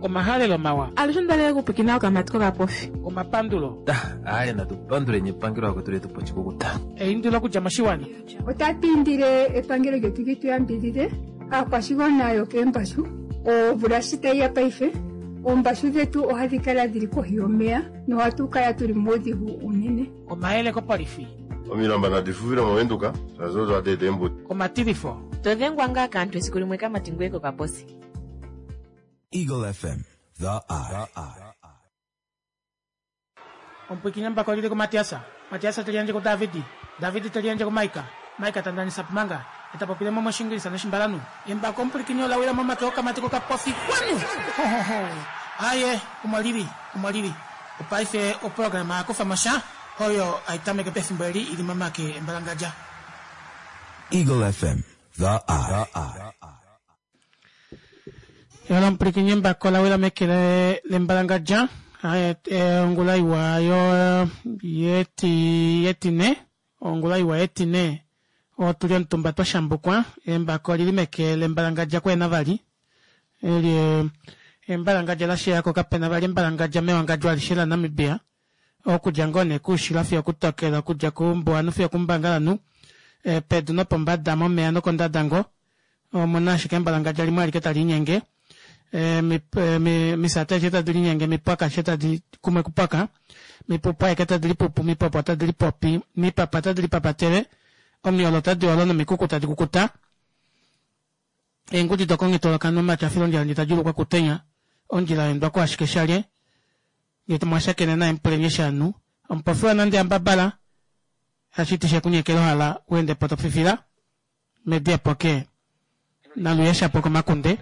Omahalelo mawa. Alushe onda okupwikina okamati kokapofi. Omapandulo. Aye natu panduleni epangelo akwetu letu pochikukuta. Eindilo okudja moshiwana. Otatu indile epangelo lyetu li tu yambidhidhe aakwashigwana yokeembashu. Omvula shi tayi ya paife, oombashu dhetu ohadhi kala dhili kohi yomeya nohatu kala tuli muudhigu uunene. Omayele kopolifi. Omilamba nadi fufile mOvenduka, shaashi odo hadi eta eembuto. Omatilifo. To dhengwa ngaa kaantu esiku limwe kamati ngoye kokaposi. Eagle FM, the eye. Omupwiikini embako lili kuMatiasa, Matiasa te liyandje kuDavidi, Davidi te liyandje kuMaika, Maika ta ndanisa Pumanga, e ta popile mo mOshingilisa nOshimbalanhu. Embako omupwilikini ola wila momake okamati kokapofi. Kwanu! Ho-ho-ho! Aaye, omo li li, omo li li. Opaife oprograma ya kufa mo sha, oyo hai tameke pefimbo eli i li momake embalangadja. Eagle FM, the eye. Yala omupwilikini embako la wila meke lembalangadja. Ongula iwa yo yeti yetine, ongula iwa yetine, otu li omutumba twa shambukwa, embako oli li meke lembalangadja kuhena vali. Eli embalangadja la shiya ko kapena vali embalangadja mewangadjo alishe laNamibia. Okudja ngoo nee koushilo fiyo okutokelo, okudja koumbuwanhu fiyo okoumbangalanhu, pedu nopombada, momeya nokondada ngoo, omu na ashike embalangadja limwe alike tali linyenge. Omisati adishe tadi linyenge, omipwaka adishe tadi kumwe kupwaka, omipupu aeke tadi lipupu, omipopo otadi lipopi, omipapa otadi lipapatele, omiolo otadi olo nomikuku tadi kukuta. Eengudi dokonghetoloka omatyafilo ondjila ndji ta djuulukwa okutenya, ondjila ya endwa kuashike shalye, ngee mwa shakene naye mupuleni eshi a nu. Omupofi wa nande ambabala, hashi ti shekunyekela ohala u ende po to fifila medi epoke naluye shapo komakunde.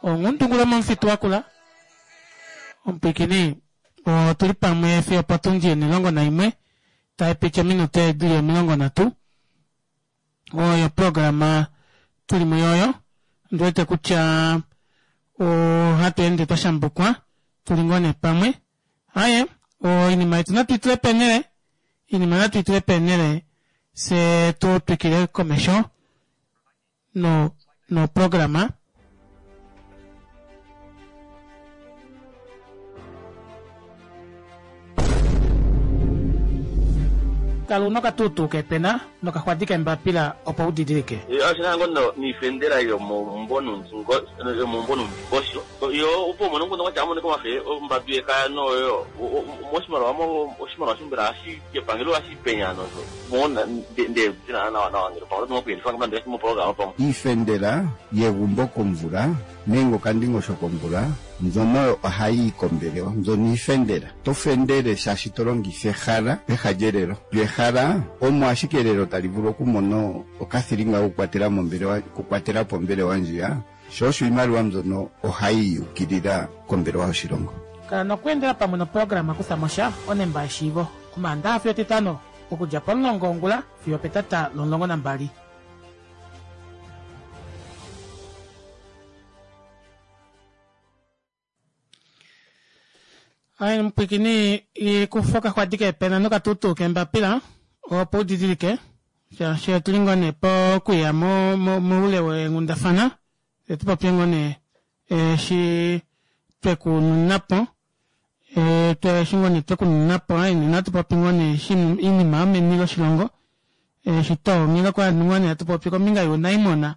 Onghundungula momufitu wakula. Omupwiikini, otu li pamwe fiyo opotundi 11 tai piti ominute di li 30. Oyo oprograma tuli muyo oyo. Ondi wete kutya ohatu ende twa shambukwa tuli ngoo nee pamwe. Aye, oinima yetu natu i tule peenhele, oinima natu i tule peenhele fye tu twikile komesho no noprograma. Kala una okatuutuu keepena nokaxwadi keembapila opo u didilike. Oshi na ngo niifendela yomomumvo nuundingosho yo opo umone nguno kwatya amone komafe ombambi yekaya noyo moshimaliwa mo oshimaliwa shombela hashi kepangelo hashi penya nozo mona nde ndina nawa nawa ngele pamwe oto kuyelifa ngamba ndi mo pamwe. Iifendela yegumbo komvula nenge okandingosho komvula mbyono oyo ohayi yi kombelewa. Mbyono iifendela. Oto fendele shaashi to longitha ehala peha lyelelo. Lyo ehala omo ashike elelo tali vulu okumona okathilinga kokukwatela mombelewa, okukwatela po ombelewa ndjiya. Sho osho iimaliwa mbyono ohayi yi ukilila kombelewa yoshilongo. Kala nokweendela pamwe noprograma Kutha mo sha, Onemba yeshiivo, Omaandaha fiyo Etitano, okudja pomulongo wongula fiyo opetata lomulongo nambali. Aye mupwikini kufa okaxwadi keepena nokatuutuu keembapila opo u didilike shaashi otuli ngoo nee pokuya moule weenghundafana fye tu popye ngoo nee eshi twe ku nuna po eshi ngoo nee twe ku nuna po aye natu popi ngoo nee oinima yomeni loshilongo eshi twa ongela ovanhu ngoo nee hatu popi kombinga younaimona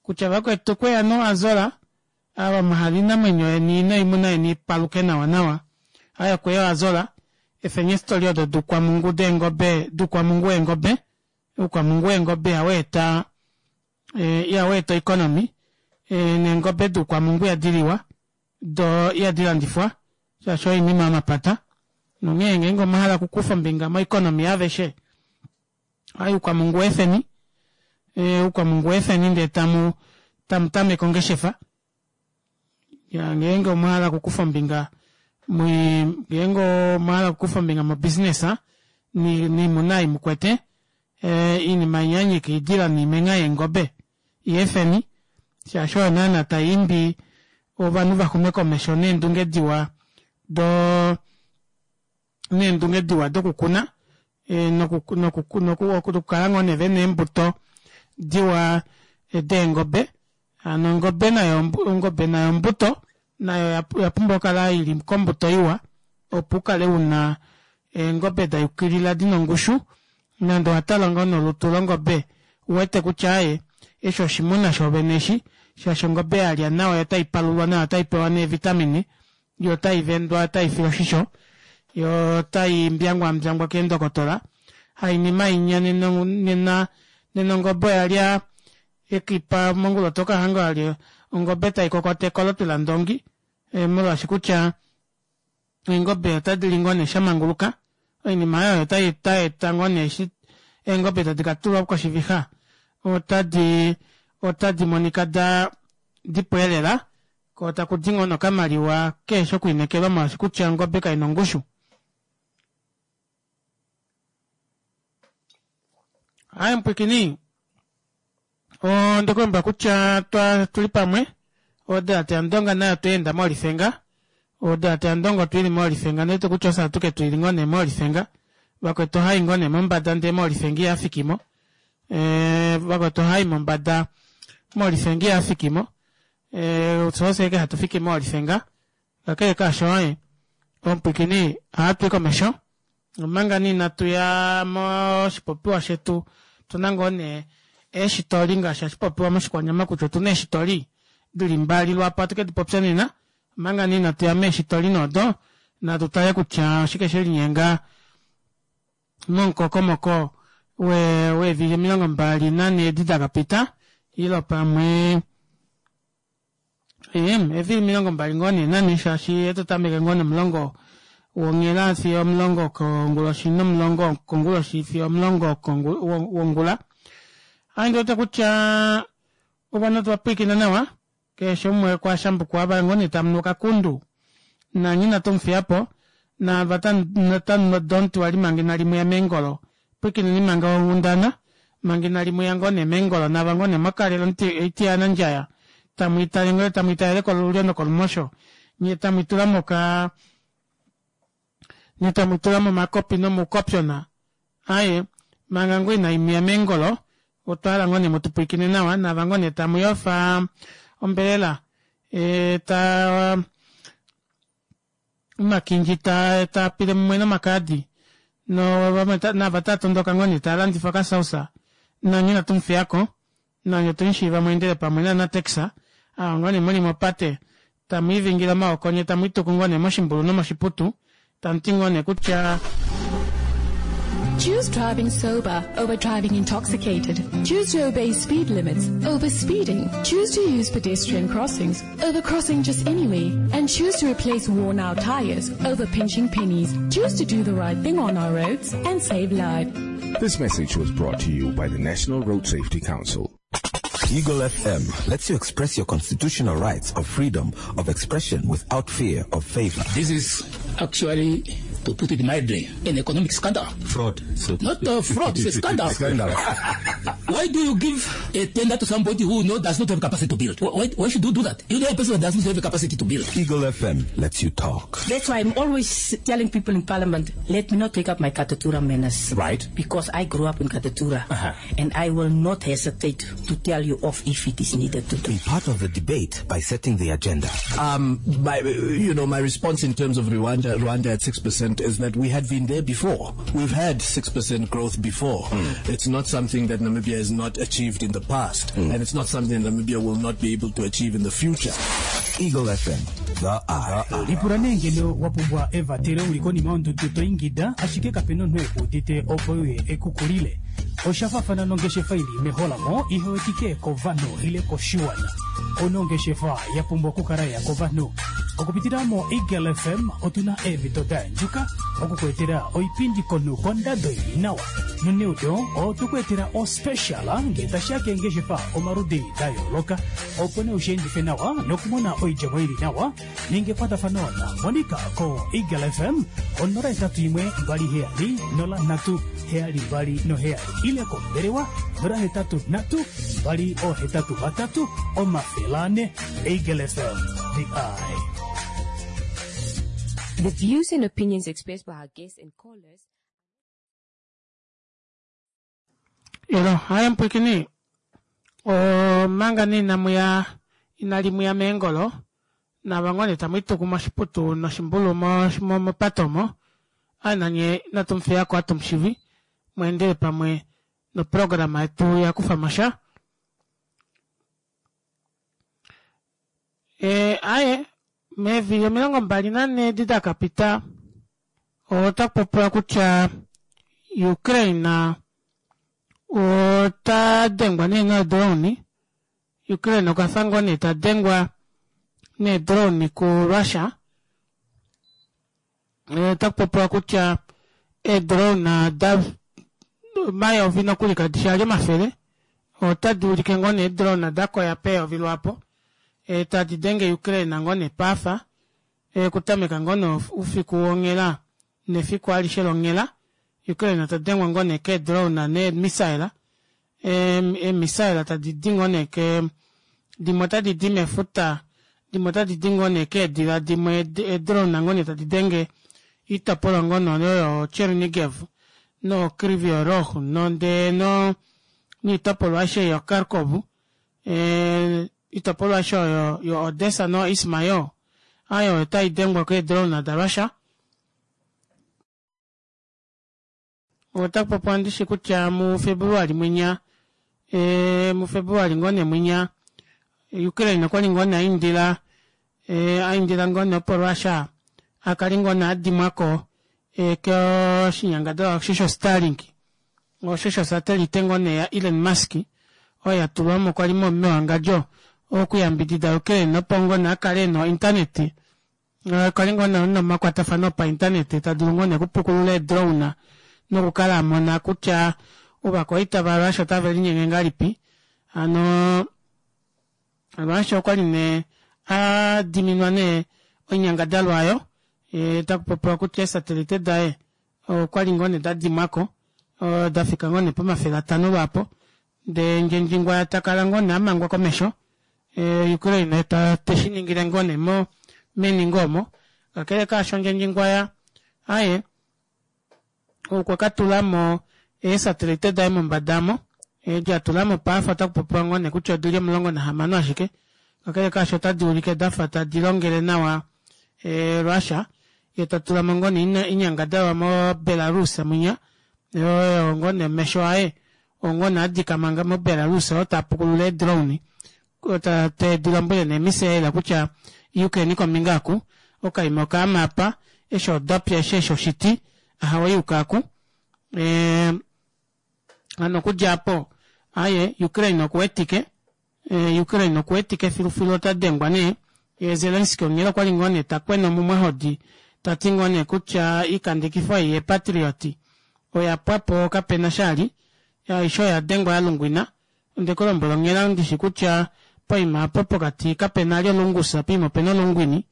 kutya vakwetu kweya noAzola Ava mwa hala oinamwenyo yeni noimuna yeni i paluke nawanawa, aye okwe ya oAzola, efeni eestoli odo duukwamungu deengobe, duukwamungu weengobe. Oukwamungu weengobe ihau eta, ihau eta oikonomi, neengobe duukwamungu ihadi liwa, do ihadi landifwa, shaashi oyo oinima yomapata. Nonghee ngeenge omwa hala okukufa ombinga moikonomi yaaveshe, aye oukwamungu weefeni, oukwamungu weefeni ndee tamu tamu tameke ongeshefa. Ya ngeenge omwa hala okukufa ombinga ngeenge omwa hala okukufa ombinga mobusiness niimuna ei mukwete, iinima inyanyika iidila niimenha yeengobe yeefeni, shaashi oyo naana tai imbi ovanhu va xume komesho neendunge diwa do neendunge diwa dokukuna nokukala ngoo nee vena eembuto diwa deengobe. Hano ongobe nayo ongobe nayo ombuto. Nayo oya pumbwa okukala ili kombuto iwa opo ukale una eengobe da yukilila dina ongushu nande owa tala ngoo nolutu longobe uwete kutya aaye eshi oshimuna shoovene eshi shaashi ongobe yalya nawa yo otai palulwa nawa otai pewa neevitamine yo otai vendwa otai filwa oshisho yo otai mbyangwambyangwa keendokotola hainima inya nena nena ongobe oyalya ekipa mongula otoka hanga wali ongobe tai kokota ekolopi landongi eh, molwaashi kutya eengobe otadi li ngoo nee shamanguluka oinima oyo otai eta ngoo nee eshi eengobe tadi ka tulwa koshivixa otadi otadi monika da dipweelela ko taku di ngoo nokamaliwa keheshi okwiinekelwa molwaashi kutya ongobe kai na ongushu. Aye mupwikini onde kulombwela kutya twa tuli pamwe odalate yandonga nayo tweenda moolifenga odalate yandonga otwili moolifenga ndete kutya ofye atuke tuili ngoo nee moolifenga vakwetu ohai ngoo nee mombada ndee moolifenga ihafikimo eh, vakwetu ohai mombada moolifenga ihafikimo eh, fye ofye eke hatu fiki moolifenga kakele kaasho aye omupwikini ohatui komesho Omanga nee inatu ya moshipopiwa shetu, otu na ngoo nee eeshitoli ngaashi hashi popiwa moshikwanyama kutya otu na eeshitoli di li mbali lwaapo hatu ke di popya nena. Omanga nee inatu ya meeshitoli nee odo, natu tale kutya oshike she linyenga momukokomoko weevili 24 edi da ka pita, ile pamwe Eevili 20 ngoo nee nane shaashi oto tameke ngoo nomulongo wonghela fiyo omulongo konguloshi nomulongo konguloshi fiyo omulongo wongula. Ohandi wete kutya ovanhu otwa pwilikina nawa keshe umwe kwa shambukwa ava ngoo nee tamu nu okakundu nanye inatu mu fiya po naava tamu nu odonti wali manga inali muya meengolo Pwikineni manga onghundana, manga inali mu ya ngoo nee meengolo, nava ngoo nee mwa kalela oitiyanandjaya, tamu i tale ngoo tamu i talele kolulyo nokolumosho, nye tamu i tula moka, nye tamu i tula momakopi nomuukopyona. Aye, manga ngoo inai mu ya meengolo, otwa hala ngoo nee mu tu pwilikine nawa, nava ngoo nee tamu yofa ombelela, e, ta, omakindji taa taa pile mumwe nomakaadi no vamwe nava taa tondoka ngoo nee taa landifa okasausa nanye inatu mu fiyako nanye otwe mu shiiva mweendele pamwe naanatex ava ngoo nee muli mopate tamu ivingile omaoko nye tamu ituku ngoo nee moshimbulu nomoshiputu tamu ti ngoo nee kutya Choose driving sober over driving intoxicated. Choose to obey speed limits over speeding. Choose to use pedestrian crossings over crossing just anywhere. And choose to replace worn out tires over pinching pennies. Choose to do the right thing on our roads and save lives. This message was brought to you by the National Road Safety Council. Eagle FM lets you express your constitutional rights of freedom of expression without fear of favor. This is actually, to put it mildly, an economic scandal. Fraud. So Not a fraud, it's a scandal. Scandal. Why do you give a tender to somebody who does not have capacity to build? Why should you do that? You know a person that does not have the capacity to build. Eagle FM lets you talk. That's why I'm always telling people in Parliament, let me not take up my Katutura manners. Right. Because I grew up in Katutura. And I will not hesitate to tell you off if it is needed to do. Be part of the debate by setting the agenda. My response in terms of Rwanda at 6% is that we had been there before. We've had 6% growth before. It's not something that Namibia has not achieved in the past, and it's not something Namibia will not be able to achieve in the future. Eagle FM, the Eye. Lipula nee ngeno wa pumbwa evatelo u li konima yondudu to ingida ashike kape na omunhu e ku udite opo e uye e ku kulile. Osha faafana nongeshefa i li meholamo ihe wetike kovanhu ile koshiwana. Ouna ongeshefa ya pumbwa okukala ya kovanhu. Okupitila moEagle FM otu na eemhito da yandjuka oku ku etela oipindi komunhu kondado i li nawa. Noneudo otwe ku etela ospecial ngee tashi ya keengeshefa omaludi da yooloka. Opo nee u shi endife nawa nokumona oidjemo i li nawa, ninga ekwatafano naMonica koEagle FM ko 081 27 03 727 ile kombelewa 083 283 400. Eagle FM, the eye. The views and opinions expressed by our guests and callers Elo, haye mpwikini. Omanga nee inamu ya inali muya meengolo. Naava ngoo nee tamu ituku moshiputu noshimbulu mopate omo, aaye nanye inatu mu fiyako ohatu mu shivi mweendele pamwe noprograma yetu ya kufamo sha. E, aaye meevili 24 edi da ka pita otaku popiwa kutya Ukraine ota dengwa nee nodrone Ukraine okwa fa ngoo nee ta dengwa needrone kuRussia. Otaku popiwa kutya eedrone da omayovi nokuli kadi shi ali omafele otadi ulike ngoo nee eedrone da koya peyovi lwaapo tadi denge Ukraine ngoo nee paafa okutameka ngoo nee oufiku wonghela nefiku alishe longhela Ukraine ta dengwa ngoo nee keedrone neemissile eemissile tadi di ngoo nee ke dimwe otadi di mefuta dimwe otadi di ngoo nee keedila dimwe eedrone ngoo nee tadi denge oitopolwa ngoo nee oyo Chernigiv no Kryvyi Rih nonde no niitopolwa aishe yo Kharkov oitopolwa aishe oyo yo Odessa no Ismail ayo otai dengwa keedrone da Russia. Otaku popiwa ndishi kutya muFebruali mwinya e, muFebruali ngoo nee mwinya Ukraine okwali ngoo nee aindila e, aindila ngoo nee opo Russia akale ngoo nee adimwako e, koshinyangadalwa osho sho Starlink osho sho satelite ngoo nee ya Elon Musk oyo ya tulwamo kwali mewangadjo okuyambidida Ukraine opo ngoo nee akale ena ointernet Okwa li ngoo nee nomakwatafano opaintanete ta dulu ngoo nee okupukulula eedrone nokukala a mona kutya ovakwaita vaRussia otave linyenge ngahelipi. Hano Russia okwa li nee a diminwa nee oinyangadalwa oyo, taku popiwa kutya eesatelite daye okwa li ngoo nee da dimwa ko, da fika ngoo nee po500 lwaapo. Ndee Ndjendjingwaya ta kala ngoo nee a mangwa komesho, Ukraine ta teshi ningile ngoo nee mo meni ngoo omo. Kakele kaasho Ndjendjingwaya aye okwa ka tula mo eesatelite daye mombada omo, edi a tula mo paafa otaku popiwa ngoo nee kutya odili 16 ashike. Kakele kaasho otadi ulike dafa tadi longele nawa Russia, ye ta tula mo ngoo nee oinyangadalwa mo Belarus mwinya, oyo ngoo nee omesho aye oo ngoo nee a dika manga moBelarus oo taa pukulula eedrone te di lombwele neemisaela kutya yukeni kombinga oku, okaima okaama apa, eshi odapya eshi eshi oshiti, ahawe yuka aku. Hano okudja apo, aye Ukraine okuwetike, Ukraine okuwetike filufilu ota dengwa nee, ye Zelensky onghela okwali ngoo nee ta kwena omumwahodi ta ti ngoo nee kutya iikandekifo ei yePatriot oya pwa po kapena shali, aishe oya dengwa ya lungwina. Onde ku lombwela onghela ndishi kutya poima apo pokati kapena ali olungusa poima opena olungwini,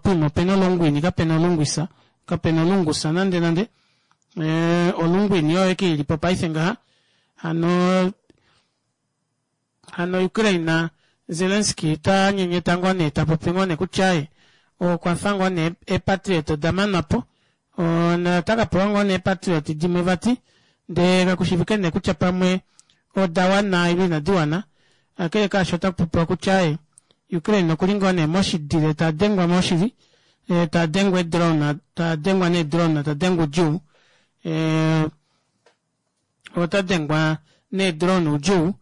poima opena olungwini kapena olungwisa, kapena olungusa nande nande. Olungwini oyo eke ilipo paife ngaha. Hano Hano Ukraine Zelensky ta nyenyeta ngoo nee ta popi ngoo nee kutya ye okwa fa ngoo nee eepatriot oda manwa po ota ka pewa ngoo nee eepatriot dimwe vati ndee kakushivike nee kutya pamwe oda wana ile inadi wana. Kakele kaasho ota popiwa kutya ye Ukraine okuli ngoo nee moshidile ta dengwa moshili ta dengwa eedrone ta dengwa needrone ta dengwa udjuu ota dengwa needrone oudjuu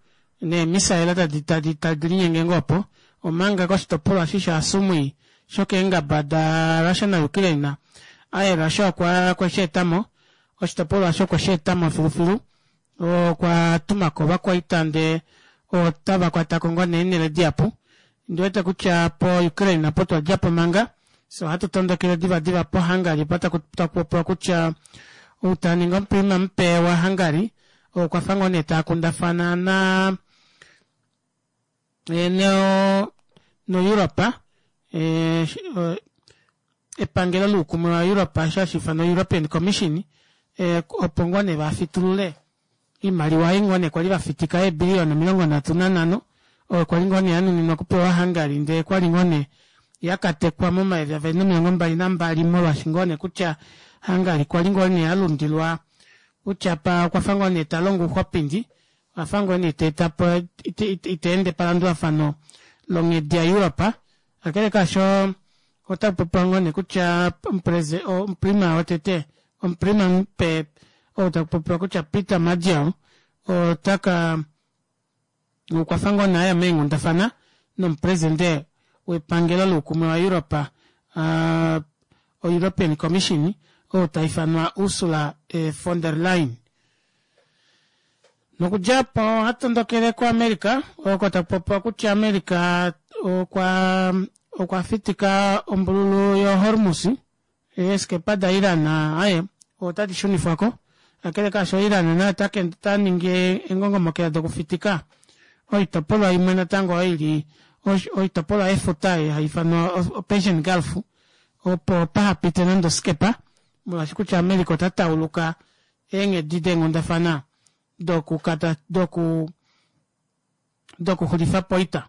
neemisaela tadi tadi tadi linyenge ngoo opo, omanga koshitopolwa eshi shaSumy shokeengaba daRussia naUkraine, aye Russia okwa okwe shi eta mo, oshitopolwa osho okwe shi eta mo filufilu, okwa tuma ko ovakwaita ndee otava kwata ko ngoo nee eenhele dihapu. Ondi wete kutya poUkraine opo twa dja po manga, Fye ohatu tondokele divadiva poHungary opo taku popiwa kutya ou ta ningi omuprima mupe waHungary okwa fa ngoo nee taa kundafana na noEuropa epangelo loukumwe waEuropa osho hashi ifanwa European Commission opo ngoo nee vafitulule Iimaliwa ei ngoo nee kwali va fitika eebiliyona 35 oyo kwali ngoo nee ya nuninwa okupewa Hungary ndee kwali ngoo nee ya katekwa momayovi avali nomilongo mbali nambali molwashi ngoo nee kutya Hungary kwali ngoo nee a lundilwa kutya pa okwa fa ngoo nee ta longo ouxwapindi okwa fa ngoo nee ita eta po ita ende palandulafano longhedi yaEuropa. Kakele kaasho otaku popiwa ngoo nee kutya omuprima wotete omuprima mupe ou taku popiwa kutya Peter Madiel otaka okwa fa ngoo nee aya meenghundafana nomupresidente wepangelo loukumwe waEurope oEuropean Commission ou taifanwa Ursula von der Leyen. Nokudja opo ohatu tondokele kuAmerica oko taku popiwa kutya America okwa okwa fitika ombululu yoHormuz eeskepa daIran aye otadi shunifwako kakele kaasho Iran naye ota ningi engongomokela dokufitika oitopolwa imwe natango oyo ili oitopolwa yefuta hai ifanwa oPersian Gulf opo pahapite nande oskepa molwaashi kutya America ota tauluka eenghedi deenghundafana dokukata doku dokuxulifa po oita.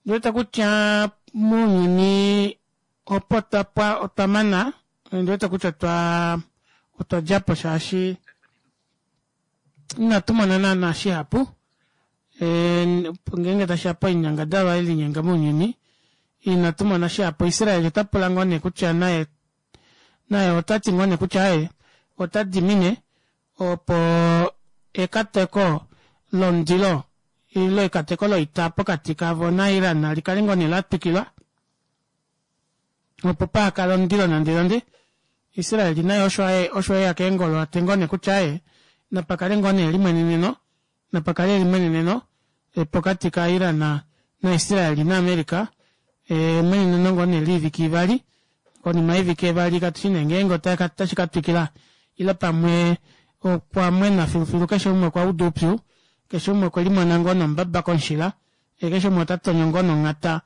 Ndiwete kutya mounyuni opo twapwa otwa mana ndiwete kutya otwa otwa dja po shaashi inatu mona naana shihapu ngeenge tashiya poinyangadalwa yelinyenga mounyuni inatu mona shihapu. Israel ota pula ngoo nee kutya naye naye ota ti ngoo nee kutya aye ota dimine opo ekateko lomundilo ile ekateko loita pokati kavo naIran li kale ngoo nee la twikilwa opo pahakale omundilo nande nande. Israel naye osho aye osho eya keengolo ate ngoo nee kutya aye napakale ngoo nee elimweneneno napakale elimweneneno pokati kaIran naIsrael naAmerica emweneneno ngoo nee liivike ivali konima yoivike ivali katu shi nee ngeenge otashi ka twikila ile pamwe okwa mwena filufilu keshe umwe okwa uda oupyu keshe umwe okwe limona ngoo nombaba komushila keshe umwe ota tonyo ngoo nonghata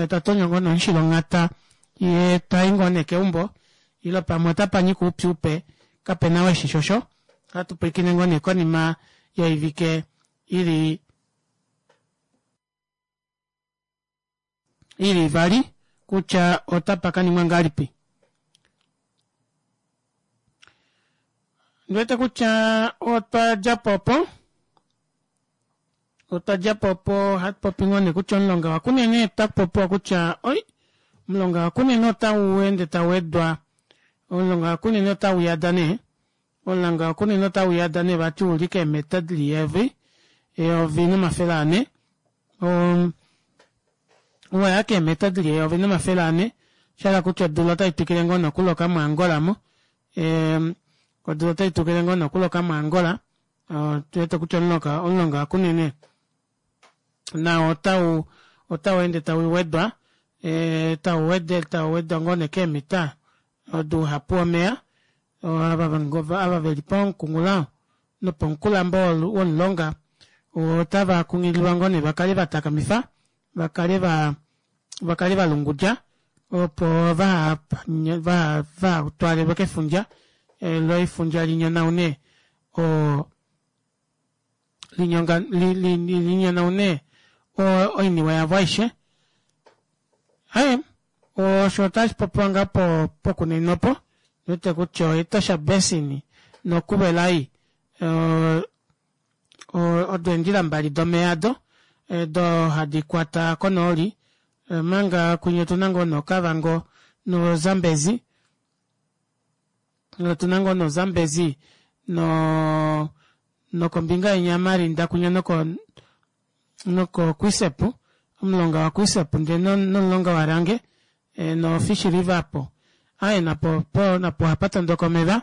ta tonyo ngoo nomushila onghata ye tai ngoo nee keumbo ile pamwe otapa nyika oupyu upe kapena weshi shosho ohatu pwilikine ngoo nee konima yoivike ili ili ivali kutya otapa ka ningwa ngahelipi. Ndiwete kutya otwa dja po opo otwa dja po opo hatu popi ngoo nee kutya omulonga waKunene otaku popiwa kutya oi omulonga waKunene otau ende tau wedwa omulonga waKunene otau yada nee omulonga waKunene otau yada nee vati uli keemeta dili eyovi eyovi nomafele ane waya keemeta dili eyovi nomafele ane shahala kutya odula otai twikile ngoo nokuloka moAngola mo odula otai twikile ngoo nokuloka moAngola tuwete kutya omulonga omulonga waKunene nao otau otau ende tau wedwa tau wede tau wedwa ngoo nee keemita douhapu womeya ava veli pomukunghulo nopomukulambo womulonga otava kunghililwa ngoo nee vakale vatakamifa vakale va vakale valungudja opo vaha vaha twaalelwe kefundja lo efundja linyonaune o linyonga linyonaune oiniwe yavo aishe. Aye osho otashi popiwa ngaa po pokunene opo ndiwete kutya oEtosha Basin noKuvelai odo eendjila mbali domeya ado do hadi kwata konooli omanga kwinya otuna ngoo noKavango noZambezi otuna ngoo noZambezi no nokombinga yenya Marinda kwinya noko noko Kuiseb omulonga waKuiseb ndee nomulonga waRange noFish River apo aye napo po napo ohapa tondoka omeva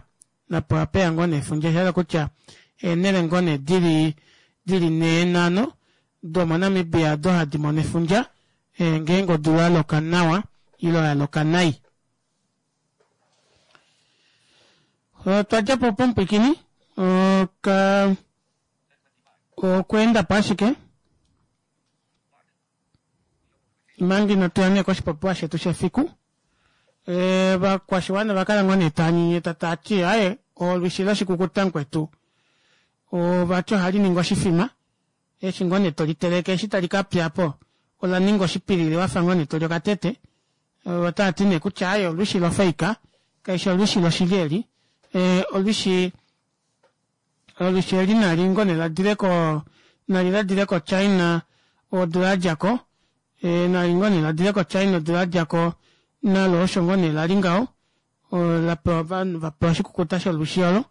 napo ohapeya ngoo nee efundja osha hala kutya eenhele ngoo nee dili dili nhee nhano domoNamibia odo hadi mono efundja ngeenge odula yaloka nawa ile yaloka nai. Otwa dja po pomupwikini oka okweenda po ashike manga inatu ya nee koshipopiwa shetu shefiku ovakwashiwana ova kala ngoo nee tava nyenyeta tava ti aaye olwishi loshikukuta mukwetu ovati ohali ningi oshifima eshi ngoo nee toliteleke eshi tali ka pya po ola ninga oshipilili wafa ngoo nee toli okatete otava ti nee kutya aaye olwishi lofeika kaishi olwishi loshili eli olwishi olwishi eli nali ngoo nee ladile ko nali ladile koChina odula yadja ko. Nali ngoo nee ladile koChina odula yadjako nalo osho ngoo nee lali ngaho lapewa ovanhu vapewa oshikukuta sholwishi olo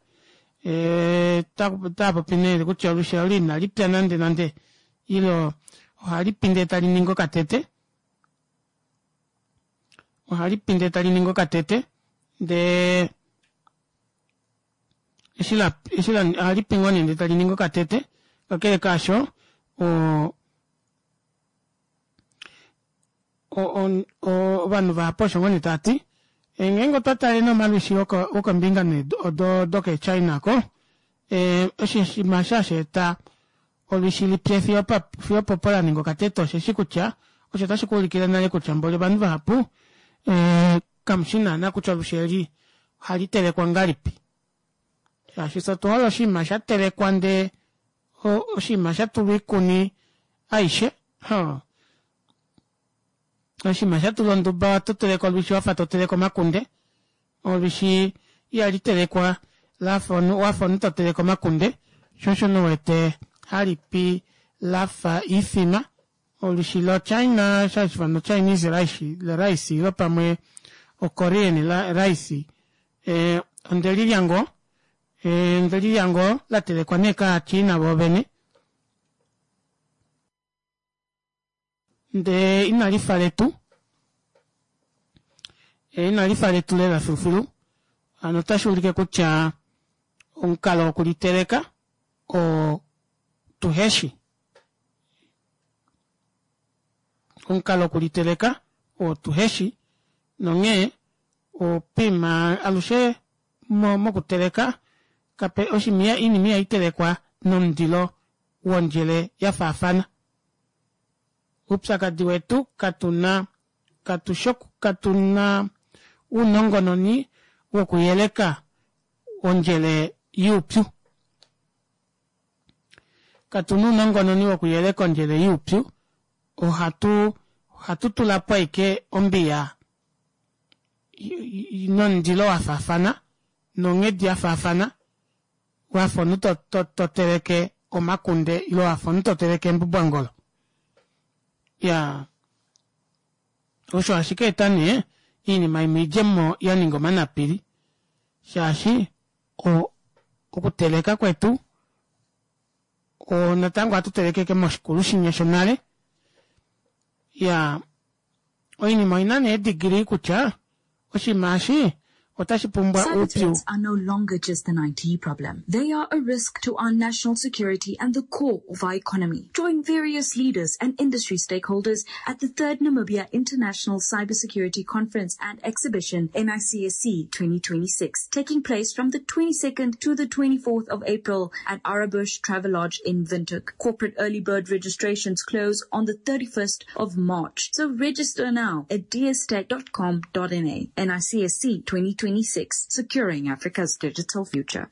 otaapopi nee kutya olwishi olo inali pya nande nande ile ohali pi ndee tali ningi okatete ohali pi ndee tali ningi okatete ndee eshi la eshi la ohali pi ngoo nee ndee tali ningi okatete kakele kaasho o ovanhu vahapu osho ngoo nee tava ti ngeenge otwa tale nee omalwishi wokombinga nee odo dokeechina ko osho oshinima osho hashi eta olwishi lipye fiyo fiyo opopo la ninga okatete osheshi kutya osho otashi ku ulikile nale kutya mboli ovanhu vahapu kamushi naana kutya olwishi eli ohali telekwa ngahelipi shaashi fye otu hole oshinima sha telekwa ndee oshinima sha tulwa oikuni aishe Oshinima sha tulwa onduba oto teleke olwishi wafa to teleke omakunde. Olwishi ihali telekwa lafa wafa omunhu to teleke omakunde, sho osho nee u wete hali pi lafa iifima. Olwishi loChina osho hashi ifanwa Chinese rice, rice ile pamwe oKorean rice onde lilya ngoo, onde lilya ngoo la telekwa nee kaaChina voovene. Ndee inali fa letu, inali fa letu lela filufilu. Hano otashi ulike kutya omukalo wokuliteleka oo tuheshi. Omukalo wokuliteleka oo tuheshi nonghee opima alushe mokuteleka kape oshimiya iinima ihai telekwa nomundilo wondjele ya faafana. Uupyakadi wetu katu na katu shi katu na uunongononi wokuyeleka ondjele yuupyu. Katu na uunongononi wokuyeleka ondjele yuupyu, ohatu ohatu tula po ashike ombiya nomundilo wa faafana nonghedi ya faafana wafa omunhu to, to, to teleke omakunde ile wafa omunhu to teleke embubwangolo. Ya osho ashike eta nee iinima imwe idje mo ya ninga omanapili shaashi o, okuteleka kwetu o, natango ohatu telekeke moshikulu shinya shonale ya oinima oina nee edigili kutya oshinima eshi otashi pumbwa Cyber oupyu threats are no longer just an IT problem. They are a risk to our national security and the core of our economy. Join various leaders and industry stakeholders at the third Namibia International Cybersecurity Conference and Exhibition, NICSC 2026, taking place from the 22nd to the 24th of April at Arabush Travelodge in Windhoek. Corporate early bird registrations close on the 31st of March. So register now at dstech.com.na. NICSC 2026, securing Africa's digital future.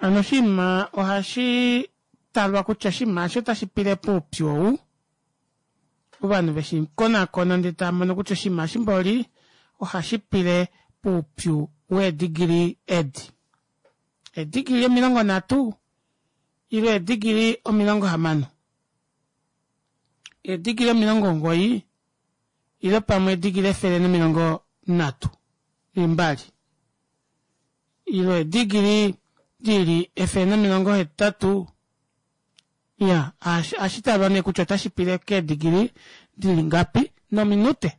Hano oshinima ohashi talwa kutya oshinima eshi otashi pile poupyu ou. Ovanhu veshi konakona ndele tava mono kutya oshinima eshi mboli ohashi pile poupyu weedigili edi. Eedigili 30 ile eedigili 60. Eedigili 90 ile pamwe eedigili 132 ile eedigili di li 180 ya ohashi talwa nee kutya otashi pile keedigili di li ngapi nominute.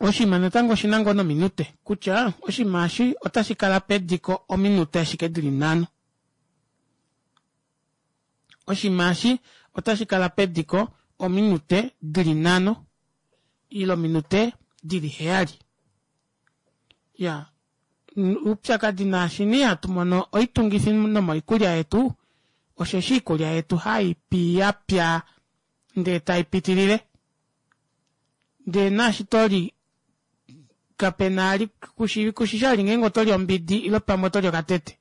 Oshinima natango oshi na ngoo nominute kutya oshinima eshi otashi kala pediko ominute ashike di li nhano. Oshinima eshi otashi kala pediko ominute di li nhano ile ominute di li heyali. Ya oupyakadi naashi nee hatu mono oitungifi nomoikulya yetu osheshi oikulya yetu hai pi ya pya ndee tai pitilile. Ndee naashi to li kape na ali kushi kushi ali ngeenge oto li ombidi ile pamwe oto li okatete.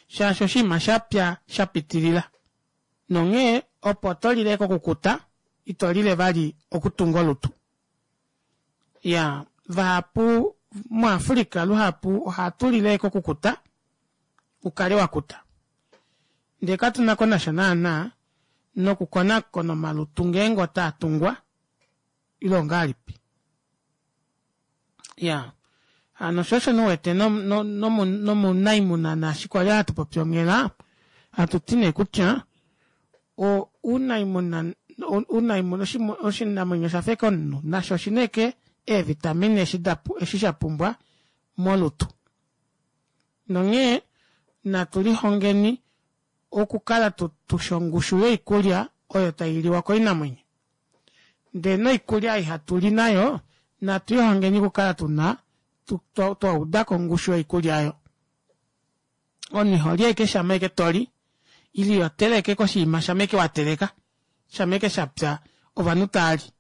Shaashi oshinima sha pya sha pitilila. Nonghee opo to lile kokukuta ito lile vali okutunga olutu. Ya vahapu muAfrica luhapu ohatu lile kokukuta. Ukale wakuta. Ndee katu na ko nasha naana nokukonakona omalutu ngeenge otaa tungwa ile ongahelipi. Ya hano sho osho nee uwete nomunaimuna naashi kwali hatu popi onghela hatu ti nee kutya ounaimuna ounaimuna oshinamwenyo osha fa ashike omunhu nasho oshina ashike eevitamine eshi da eshi sha pumbwa molutu. Nonghee natu lihongeni okukala tu tushi ongushu yoikulya oyo tai liwa koinamwenyo. Ndee noikulya ei hatu li nayo natu lihongeni okukala tuna twa udako ongushu yoikulya oyo. Omunhu iho li ashike shama ashike toli ile iho teleke ashike oshinima shama ashike wa teleka shama ashike shapya ovanhu tava li.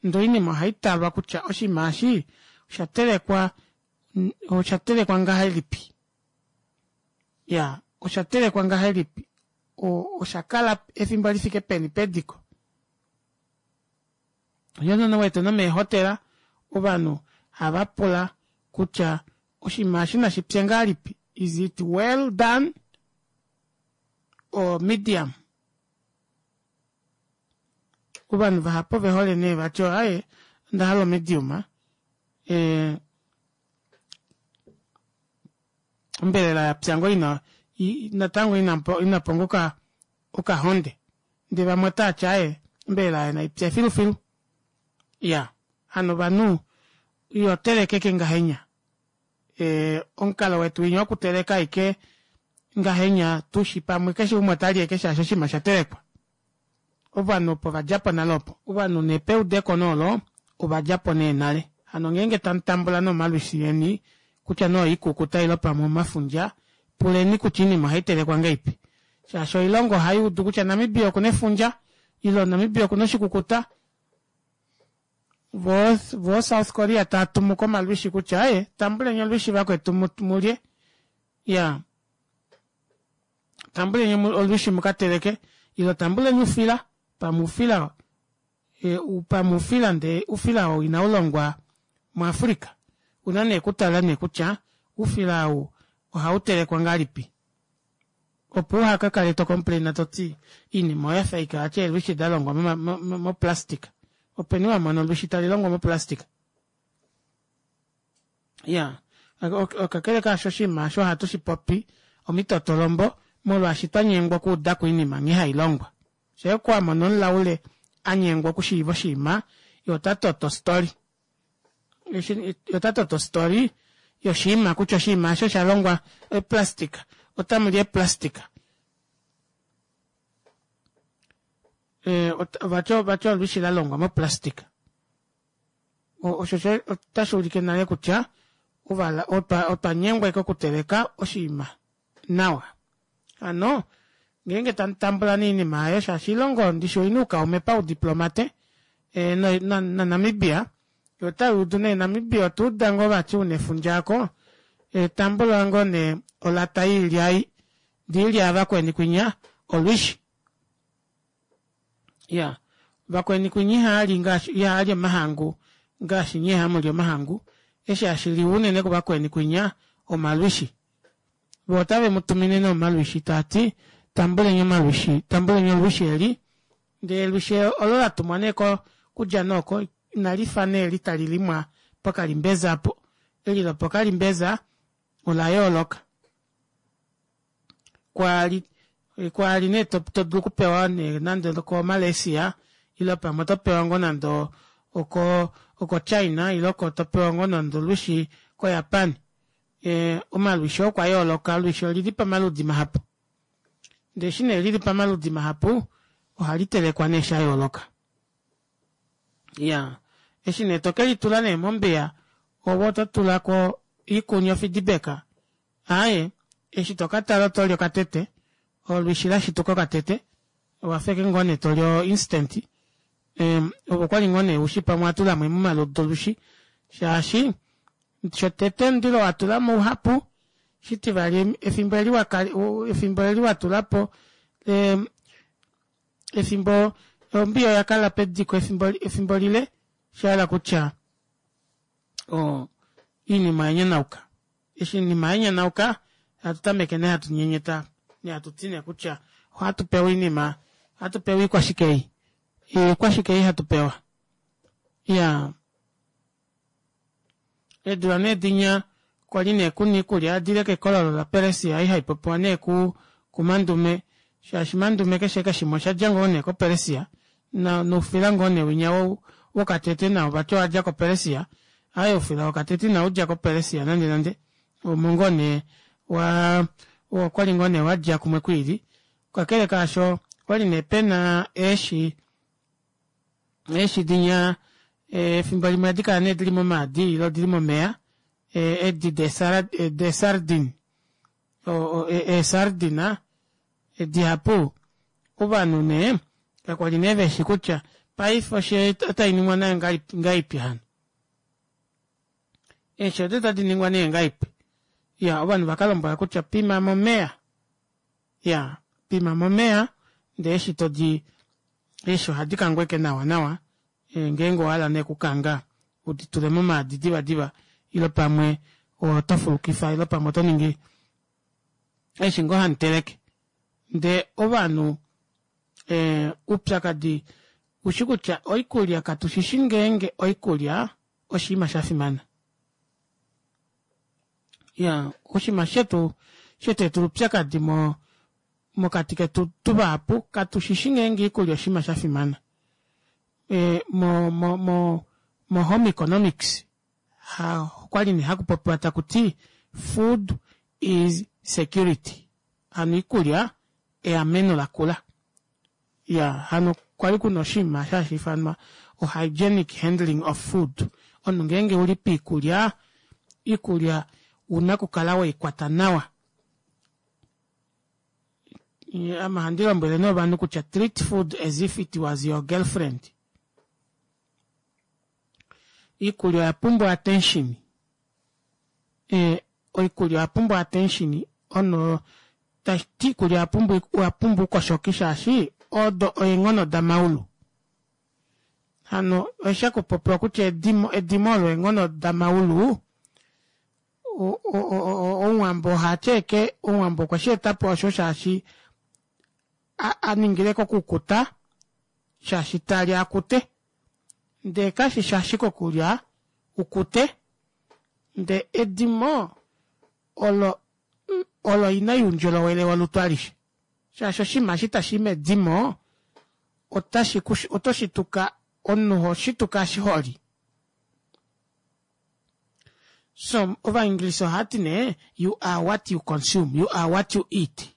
Ndee oinima ohai talwa kutya oshinima eshi osha telekwa osha telekwa ngahelipi. Ya osha telekwa ngahelipi osha kala efimbo lifike peni pediko. Osho wete nomeehotela ovanhu hava pula kutya oshinima eshi nashi pye ngahelipi, is it well done or medium. Ovanhu vahapu ove hole nee vati aaye onda hala omedium eh, ombelela ya pya ngoo ina natango ina po ngoo okahonde ndee vamwe otaa ti aaye ombelela aayo nai pye filufilu. Iya hano ovanhu iho teleke ike ngahenya. E, omukalo wetu winya wokuteleka aike ngahenya tushi pamwe keshe umwe ota li eke shaashi oshinima osha telekwa. Ovanhu opo va dja po nale opo. Ovanhu nee peudeko nee olo ova dja po nee nale. Hano ngeenge tamu tambula nee omalwishi eni kutya nee oikukuta ile pamwe omafundja, puleni kutya oinima ohai telekwa ngahelipi. Shaashi oilongo ohai udu kutya Namibia oku na efundja ile Namibia oku na oshikukuta. Vo, vo South Korea tava tumu ko omalwishi kutya aye tambuleni olwishi vakwetu mu lye. Ya. Tambuleni olwishi mu ka teleke ile tambuleni oufila, pamwe oufila e, pamwe oufila ndee oufila oo inau longwa muAfrica. Una nee kutala nee kutya oufila ou ohau telekwa ngahelipi. Opo uha ka kale to complaina to ti iinima oya fa ike vati eelwishi da longwa moplastic. Openi wa mona olwishi tali longwa moplastic? Ya, kakele kaasho oshinima osho ohatu shi popi omitotolombo molwaashi twa nyengwa okuuda ko oinima nghee hai longwa. Shee ku wa mona omulaule a nyengwa okushiiva oshinima, ye ota toto ostory. Ye ota toto ostory yoshinima kutya oshinima osho osha longwa eplastika, otamu li eplastika. Vati olwishi la longwa moplastika. Osho otashi ulike nale kutya otwa nyengwa ike okuteleka oshinima nawa. Hano ngeenge tamu tambula nee oinima aayo shaashi oilongo ndishi oina oukaume paudiplomate e, naNamibia yo otai udu nee Namibia otwa uda ngoo vati una efundja ako e, tambula ngoo nee olata yoilya ei ndee oilya yavakweni kwinya olwishi. Ya vakweni kwinya ihaali ngaashi ihaali omahangu ngaashi nye hamu li omahangu eshi hashi liwa unene kuvakweni kwinya omalwishi. Vo otave mu tumine nee omalwishi taa ti tambuleni omalwishi tambuleni olwishi eli ndee elwishi olo la tumwa nee ko kudja nee oko inali fa nee eli tali limwa pokalimbeza apo eli lopokalimbeza ola yooloka. Kwaali kwaali nee to to dulu okupewa nee nande okoMalaysia ile pamwe oto pewa ngoo nande oko okoChina ile oko to pewa ngoo nande olwishi koJapan. E, omalwishi okwa yooloka, olwishi olili pamaludi mahapu. Ndee eshi nee lili pamaludi mahapu, ohali telekwa nee sha yooloka. Ya, eshi nee to ke litula nee mombiya, ove oto tula ko iikuni ofidibeka Aaye, eshi to ka tala oto li okatete, olwishi la shituka okatete, owa fa eke ngoo nee to li o instant. Ehm, ove okwali ngoo nee ushi pamwe wa tula mo omaludi olwishi, shaashi shotete omundilo wa tula mo uhapu, shitivali efimbo eli wa kala, efimbo eli wa tula po, ehm, efimbo ombiya oya kala pediko efimbo, efimbo lile, sha hala kutya o, iinima oya nyanauka. Eshi oinima ya nyanauka, Hatu tameke nee hatu nyenyeta nee hatu ti nee kutya ohatu pewa oinima ohatu pewa iikwashike ei iikwashike ei hatu pewa iya eedula nee dinya kwali nee kuna iikulya yadile kekololo laPeresia ei haipopiwa nee ku kuMandume shaashi Mandume keshe keshimwe oshadja ngoo nee koPeresia noufila ngoo nee winya wokatete nao vati owadja koPeresia aaye oufila wokatete inaudja koPeresia nande nande omo ngoo nee wa okwali ngoo nee wadja kumwe kwiili kakele kaasho okwali nee pena eeshi eeshi dinya efimbo limwe ohadi kala nee dili momaadi ile odili momeya edi deesardine eesardina dihapu ovanhu nee kakwali nee veshi kutya paife oshi otainingwa nayo ngahelipi hano eeshi odo tadi ningwa nee ngahelipi ya ovanhu vakalombwela kutya pima momeya ya pima momeya ndee eshi todi eeshi ohadi kangweke nawa nawa e, ngeenge owahala nee okukanga udi tule momaadi diva diva ile pamwe oto fulukifa ile pamwe oto ningi eshi ngoo hamuteleke ndee ovanhu e, upyakadi ushi kutya oikulya katushishi ngeenge oikulya oshinima shafimana ya oshinima shetu shetu upyakadi mo mokati ketu tuvahapu katushishi ngeenge oikulya oshinima shafimana e, mo, mo, mo, mo home economics ha okwali nee hakupopiwa takuti food is security hano iikulya eameno lakula ya hano kwali kuna oshinima hashi ifanwa o hygienic handling of food omunhu ngeenge uli piikulya iikulya una okukala weikwata nawa ame ohandi lombwele nee ovanhu kutya treat food as if it was your girlfriend iikulya oya pumbwa attention e, oikulya oya pumbwa attention ono tashiti iikulya oya pumbwa oya pumbwa uukoshoki shaashi odo eenghono damaulu hano osha kupopiwa kutya edimo edimo olo eenghono damaulu omuwambo ohati eke omuwambo okwe shi etapo osho shaashi a ningile kokukuta shaashi tali akute ndee kashishi ashike okulya ukute ndee edimo olo olo ina youndjolowele wolutu alishe shaashi oshinima eshi tashi i medimo otashi oto shituka omunhu oho shituka eshi holi so ovaenglisa ohati nee you are what you consume you are what you eat